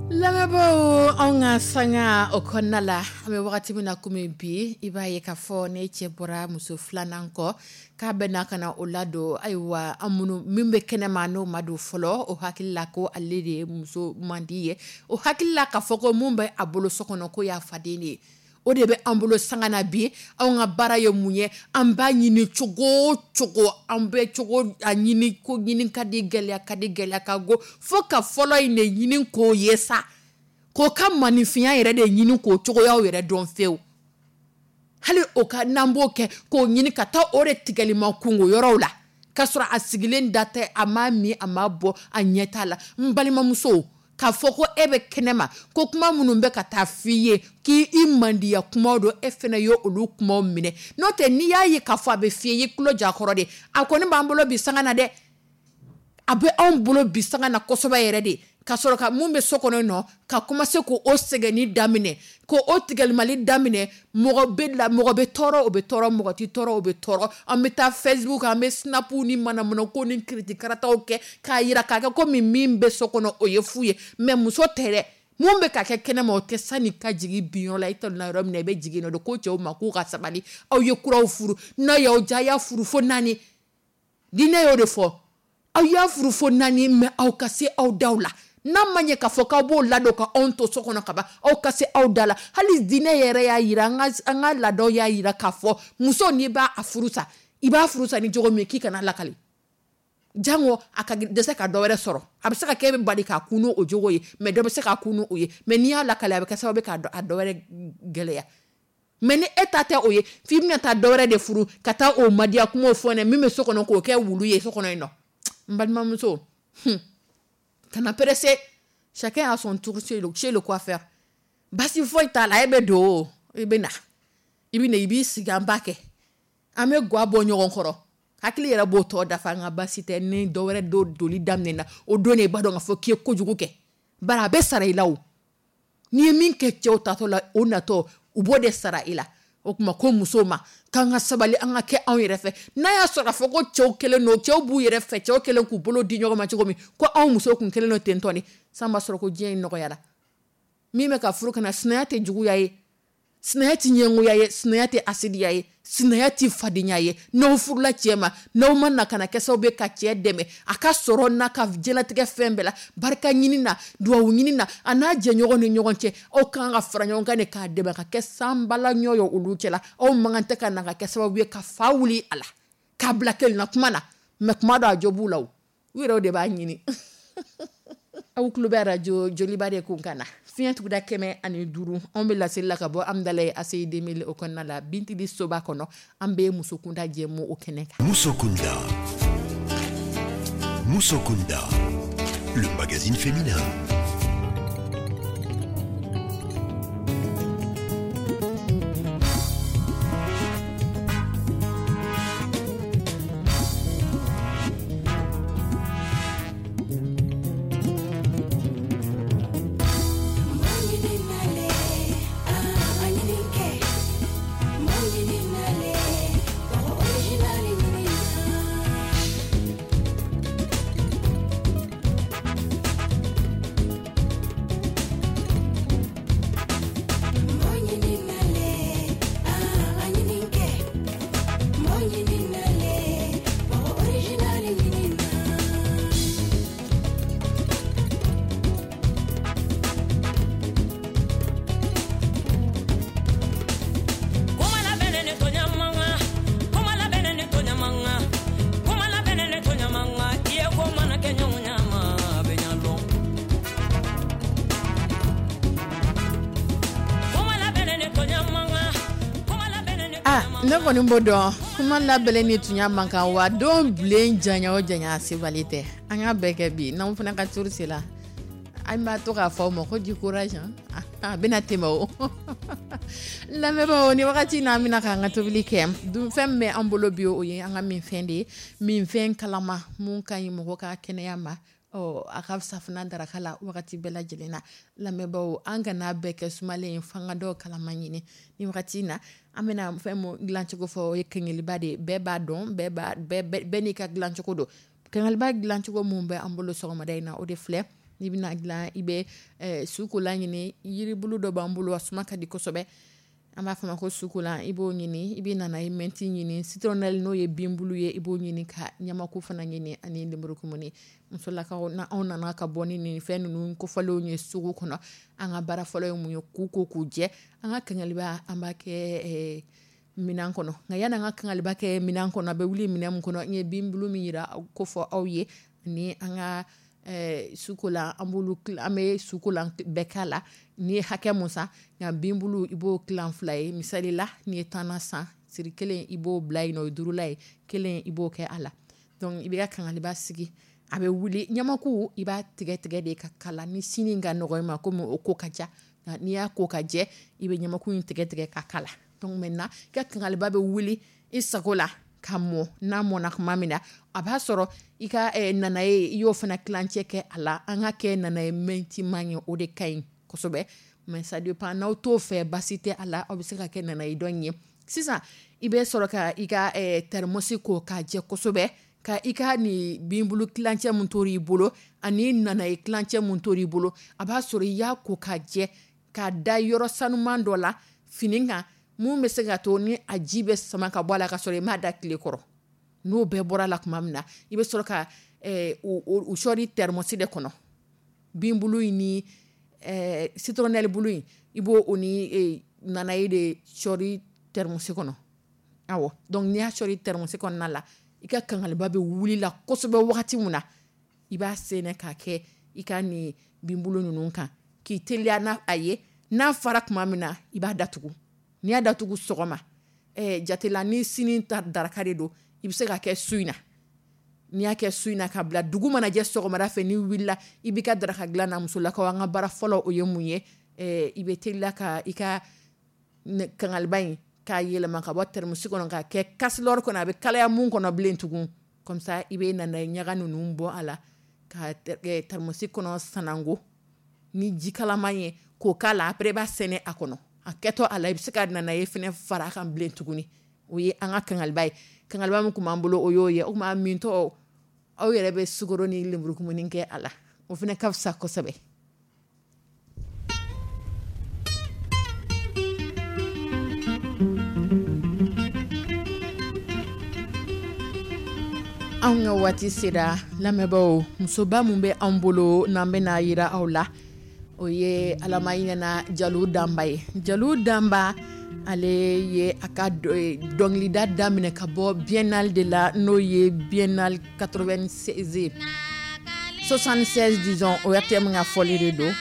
Lamɛnbaaw, anw ka sanga o kɔnɔna la, an bɛ wagati min na komi bi, i b'a ye k'a fɔ ne cɛ bɔra muso filanan kɔ k'a bɛ n'a ka na o ladon. Ayiwa, an minnu min bɛ kɛnɛma n'o ma don fɔlɔ, o hakili la ko ale de ye muso mandi ye, o hakili la k'a fɔ ko mun bɛ a bolo so kɔnɔ ko y'a faden de ye. O de bɛ an bolo sanga na bi. Anw ka baara ye mun ye? An b'a ɲini cogo o cogo, an bɛ cogo a ɲini ko ɲini ka di, gɛlɛya ka di, gɛlɛya ka go, fo ka fɔlɔ in de ɲini k'o ye sa, k'o ka maninfinya yɛrɛ de ɲini k'o cogoyaw yɛrɛ dɔn fewu. Hali o ka n'an b'o kɛ k'o ɲini ka taa o de tigɛlima kungo yɔrɔw la, k'a sɔrɔ a sigilen da tɛ, a m'a min, a m'a bɔ, a ɲɛ t'a la. N balimamuso, k'a fɔ ko e bɛ kɛnɛma ko kuma minnu bɛ ka taa f'i ye k'i i mandiya kumaw don, e fana ye olu kumaw minɛ. N'o tɛ, n'i y'a ye k'a fɔ a bɛ f'i ye, i tulo ja kɔrɔ de. A kɔni b'an bolo bi sanga na dɛ, a bɛ anw bolo bi sanga na kosɛbɛ yɛrɛ de, ka sɔrɔ ka mun bɛ so kɔnɔ nɔ ka commencer k'o sɛgɛnni daminɛ, k'o o tigɛlimali daminɛ. Mɔgɔ bɛ la, mɔgɔ bɛ tɔɔrɔ, o bɛ tɔɔrɔ, mɔgɔ tɛ tɔɔrɔ, o bɛ tɔɔrɔ. An bɛ taa Facebook, an bɛ Snap ni manamanako ni kiritikarataw kɛ k'a yira k'a kɛ komi min bɛ so kɔnɔ o ye fu ye. Mais muso tɛ dɛ, mun bɛ ka kɛ kɛnɛma o tɛ. Sani ka jigin binyɔrɔ la, i t'a dɔn yɔrɔ min na i bɛ jigin nɔ de. Ko cɛw ma k'u ka sabali, aw ye kuraw furu, n'a y'aw diya a y'a furu fo naani. Diinɛ y'o de fɔ, aw y'a furu fo naani, mais aw ka se aw daw la. N'a ma ɲɛ k'a fɔ k'aw b'o ladon ka anw to so kɔnɔ ka ban, aw ka se aw da la. Hali diinɛ yɛrɛ y'a yira, an ka, an ka laadaw y'a yira k'a fɔ muso n'i b'a furu sa, i b'a furu sa ni cogo min k'i kana lakali, jango a ka dɛsɛ ka dɔ wɛrɛ sɔrɔ. A bɛ se ka kɛ e bɛ bali k'a kun n'o jogo ye, mais dɔ bɛ se k'a kun n'o ye. Mais n'i y'a lakali, a bɛ kɛ sababu ye k'a a dɔ wɛrɛ gɛlɛya. Mais ni e ta tɛ o ye, f'i bɛna taa dɔ wɛrɛ de furu ka taa o madiya kumaw fɔ ɲɛna min bɛ so kɔnɔ k'o kɛ wulu ye so kɔnɔ yen nɔ. N balimamuso, hmm, kana pressé, chacun a son tour chez le, chez le coiffeur. Basi foyi t'a la, e bɛ don o, i bɛ na, i bɛ na, i b'i sigi, an b'a kɛ, an bɛ guwa bɔ ɲɔgɔn kɔrɔ, hakili yɛrɛ b'o tɔ dafa. N ka basi tɛ ni dɔ wɛrɛ do doli daminɛna o don de, i b'a dɔn k'a fɔ k'i ye kojugu kɛ, bari a bɛ sara i la o. N'i ye min kɛ cɛw tatɔ la, o natɔ u b'o de sara i la. O tuma ko musow ma k'an ka sabali, an ka kɛ anw yɛrɛ fɛ. N'a y'a sɔrɔ k'a fɔ ko cɛw kɛlen don, cɛw b'u yɛrɛ fɛ, cɛw kɛlen k'u bolo di ɲɔgɔn ma cogo min, ko anw musow kun kɛlen don ten tɔ de, san b'a sɔrɔ ko diɲɛ in nɔgɔyara. Min bɛ ka furu kana, sinaya tɛ juguya ye, sinaya tɛ ɲɛngoya ye, sinaya tɛ asidiya ye, sinaya tɛ fadenya ye. N'aw furula cɛ ma, n'aw ma na ka na kɛ sababu ye ka cɛ dɛmɛ a ka sɔrɔ n'a ka diɲɛlatigɛ fɛn bɛɛ la, barika ɲini na, duwawu ɲini na, a n'a jɛɲɔgɔn ni ɲɔgɔn cɛ, aw kan ka fara ɲɔgɔn kan de k'a dɛmɛ ka kɛ sanbala ɲɔ ye olu cɛla. Aw man kan tɛ ka na ka kɛ sababu ye ka fa wuli a la, k'a bila kelenna kuma na. Mais kuma dɔ a jo b'u la o, u yɛrɛw de b'a ɲini. Aw tulo bɛ arajo Joliba de kun kan na, fiɲɛ tuguda kɛmɛ ani duuru. Anw bɛ laseli la ka bɔ Amudalayi A C I deux mille o kɔnɔna la, Bintili soba kɔnɔ. An bɛ musokunda jɛmu o kɛnɛ kan. Musokunda, Musokunda, le magazine féminin. Ne kɔni b'o dɔn, kuma labɛnnen ni tunya man kan wa don bilen janya o janya sebali tɛ. An ka bɛɛ kɛ bi n'anw fana ka turu sera, an b'a to k'a fɔ aw ma ko du courage, a bɛna tɛmɛ o. Lamɛnbaaw, ni wagati in na an bɛna k'an ka tobili kɛ. Dunfɛn min bɛ an bolo bi, o ye an ka minfɛn de ye, minfɛn kalama mun ka ɲi mɔgɔ ka kɛnɛya ma. Ɔ, a ka fisa fana daraka la wagati bɛɛ lajɛlen na. Lamɛnbaaw, an kana bɛɛ kɛ sumalen ye, f'an ka dɔw kalaman ɲini. Ni wagati in na, an bɛna fɛn mun dilancogo fɔ, o ye kɛnkeliba de ye. Bɛɛ b'a dɔn, bɛɛ b'a bɛɛ bɛɛ n'i ka dilancogo don. Kɛnkeliba dilancogo mun bɛ an bolo sɔgɔmada in na, o de filɛ. N'i bɛna dilan, i bɛ eh, sukolan ɲini. Yiribulu dɔ b'an bolo, a suma ka di kosɛbɛ, an b'a fɔ ma ko sukolan. I b'o ɲini, i bɛ nana ye mɛnti ɲini, citronnelle n'o ye binbulu ye, i b'o ɲini, ka ɲamaku fana ɲini ani lenburukumuni. Musolakaw, na anw nana ka bɔ ni nin fɛn ninnu kofɔlenw ye sugu kɔnɔ, an ka baara fɔlɔ ye mun ye? K'u ko k'u jɛ. An ka kɛnkeliba, an b'a kɛ eh, minɛn kɔnɔ. Nka yanni an ka kɛnkeliba kɛ minɛn kɔnɔ, a bɛ wuli minɛn min kɔnɔ, n ye binbulu min yira ko fɔ aw ye, ni an ka eh, sukolan, an b'olu, an bɛ sukolan bɛɛ k'a la. N'i ye hakɛ mun san, nka binbulu i b'o tilan fila ye. Misali la, n'i ye tanna san, siri kelen i b'o bila yen nɔ, o ye duurula ye, kelen i b'o kɛ a la. Donc i b'i ka kangaliba sigi, a bɛ wuli. Ɲamaku, i b'a tigɛ tigɛ de ka kala. Ni sini ka nɔgɔ i ma, komi o ko ka ca, nka n'i y'a ko ka jɛ, i bɛ ɲamaku in tigɛ tigɛ ka kala. Donc maintenant, i ka kangaliba bɛ wuli i sago la ka mɔ. N'a mɔna tuma min na, a b'a sɔrɔ i ka eh, nanaye, i y'o fana tilancɛ kɛ a la. An ka kɛ nanaye mɛntiman ye, o de ka ɲi kosɛbɛ, mais ça dépend, n'aw t'o fɛ, basi tɛ a la, aw bɛ se ka kɛ nanaye dɔ in ye. Sisan i bɛ sɔrɔ ka i ka eh, thermos ko k'a jɛ kosɛbɛ, ka i ka nin binbulu tilancɛ mun tor'i bolo ani nanaye tilancɛ mun tor'i bolo, a b'a sɔrɔ i y'a ko k'a jɛ, k'a da yɔrɔ sanuman dɔ la fini kan, mun bɛ se ka to ni a ji bɛ sama ka bɔ a la, ka sɔrɔ i m'a da tile kɔrɔ. N'o bɛɛ bɔra la tuma min na, i bɛ sɔrɔ ka eh, u sɔɔri thermos de kɔnɔ, binbulu in ni eh, citronnelle bulu in, i b'o o ni eh, nanaye de sɔɔri thermos kɔnɔ. Awɔ, donc n'i y'a sɔɔri thermos kɔnɔna la, i ka kangaliba bɛ wuli la kosɛbɛ. Wagati mun na, i b'a sɛnɛ k'a kɛ i ka nin binbulu ninnu kan, k'i teliya n'a a ye. N'a fara tuma min na, i b'a datugu. N'i y'a datugu sɔgɔma, eh, jatela ni sini ta daraka de don, i bɛ se ka kɛ su in na. N'i y'a kɛ su in na ka bila, dugu mana jɛ sɔgɔmada fɛ, n'i wulila, i b'i ka daraka dilan na. Musolakaw, an ka baara fɔlɔ o ye mun ye? eh, i bɛ teliya ka i ka kangaliba in k'a yɛlɛma ka bɔ thermos kɔnɔ k'a kɛ kasilɔri kɔnɔ, a bɛ kalaya mun kɔnɔ bilen tugun. Comme ça i bɛ nana ɲaga ninnu bɔ a la, ka thermos kɔnɔ sanango ni ji kalaman ye k'o k'a la. Après i b'a sɛnɛ a kɔnɔ, a kɛtɔ a la, i bɛ se ka nanaye fɛnɛ fara a kan bilen tuguni. O ye an ka kangaliba ye. Kangaliba min kun b'an bolo, o y'o ye. O tuma mintɔ, aw yɛrɛ bɛ sukaro ni lenburukumuni kɛ a la, o fana ka fisa kosɛbɛ. Anw ka waati sera, lamɛnbaaw. Musoba mun bɛ anw bolo n'an bɛna yira aw la, o ye Alama ɲɛna Jalo Danba ye. Jalo Danba, ale ye a ka dɔnkilida daminɛ ka bɔ Biennale de la, n'o ye Biennale quatre-vingt-seize, soixante-seize disons, o O R T M ka fɔli de don,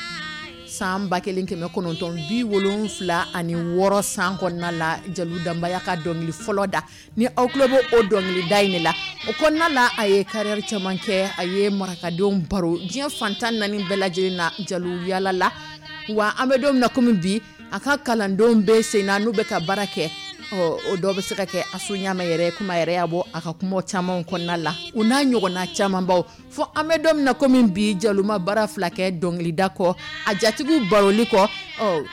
san ba kelen kɛmɛ kɔnɔntɔn bi wolonfila ani wɔɔrɔ san kɔnɔna la. Jalo Danba y'a ka dɔnkili fɔlɔ da. Ni aw tulo bɛ o dɔnkilida in de la, o kɔnɔna la, a ye carrière caman kɛ, a ye marakadenw baro diɲɛ fantan naani bɛɛ lajɛlen na. Jalo yala la wa, an bɛ don min na komi bi, a ka kalandenw bɛ sen na, n'u bɛ ka baara kɛ. Ɔ, o dɔw bɛ se ka kɛ Asu Ɲama yɛrɛ, komi a yɛrɛ y'a bɔ a ka kuma caman kɔnɔna la, o n'a ɲɔgɔnna camanbaw. Fo an bɛ don min na komi bi, Jalo ma baara fila kɛ dɔnkilida kɔ, a jatigiw baroli kɔ. Ɔ,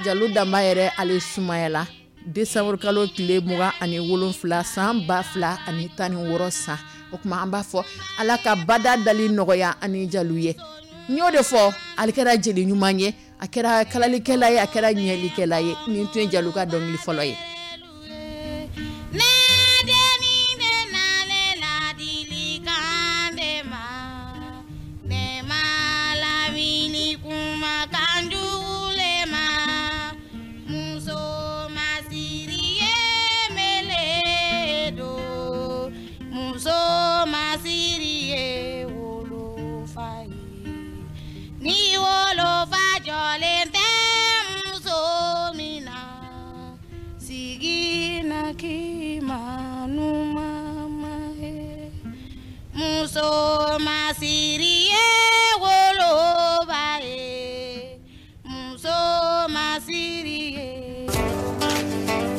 Jalo Danba yɛrɛ, ale sumayala décembre kalo tile mugan ani wolonfila san ba fila ani tan ni wɔɔrɔ san. O tuma an b'a fɔ Ala ka bada dali nɔgɔya ani Jalo ye. N y'o de fɔ, ale kɛra jeli ɲuman ye, a kɛra kalalikɛla ye, a kɛra ɲɛlikɛla ye. Nin tun ye Jalo ka dɔnkili fɔlɔ ye. Ne dennin bɛ nalen ladilikan de ma, ne ma lawuli kumakan jugu le ma. Muso masiri ye mele don, muso masiri ye wolofa ye. Ni wolofa jɔlen tɛ muso min na, sigi na k'i ma numama ye. Muso masiri ye woloba ye, muso masiri ye.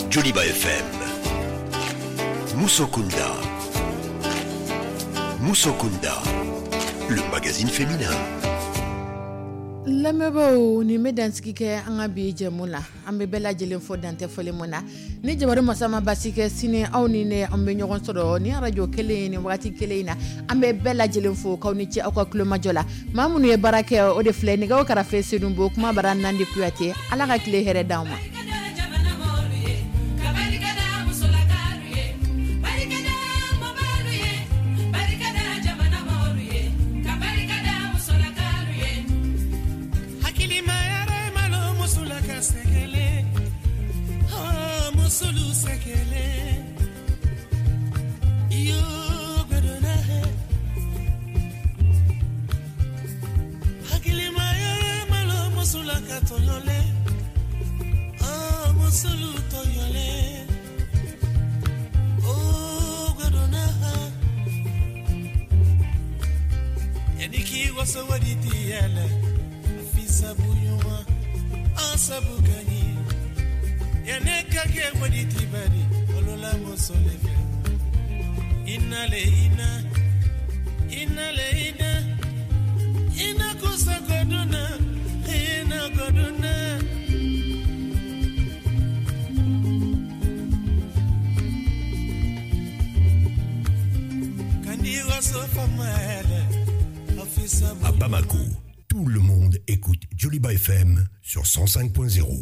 Joliba F M. Musokunda. Musokunda. Le magazine féminin. Lamɛnbaaw, nin bɛ dansigi kɛ an ka bi jɛmu la. An bɛ bɛɛ lajɛlen fɔ, dantɛ fɔli mun na. Ni jabaru masa ma basi kɛ, sini aw ni ne, an bɛ ɲɔgɔn sɔrɔ ni arajo kelen in, ni waati kelen in na. An bɛ bɛɛ lajɛlen fo k'aw ni ce aw ka kulomajɔ la. Maa minnu ye baara kɛ, o de filɛ: nɛgɛw karafe Senubo, kuma bara Nandi Kuyate. Ala ka tile hɛrɛ d'anw ma. Jamana mɔlu ye ka barika da musolakalu ye, barika da mɔbalu ye, barika da jamana mɔlu ye, ka barika da musolakalu ye. Hakilima yɛrɛ malo musula ka sɛgɛlɛ, oh, musulu sɛgɛlɛ iyo gbɛdɔnna he. Hakilima yɛrɛ malo musula ka tɔɲɔlɛ, oh, musulu tɔɲɔlɛ, oh, gbɛdɔnna ha. Yani k'i waso wadi tiyɛlɛ fisabu ɲuman an sabu ka ɲi yanni ka kɛ wadi ti bari olola muso le fɛ ina le ina ina le ina ina kusa koduna ina koduna. Kandi waso fama yɛlɛ À Bamako, tout le monde écoute Joliba F M sur cent cinq point zéro.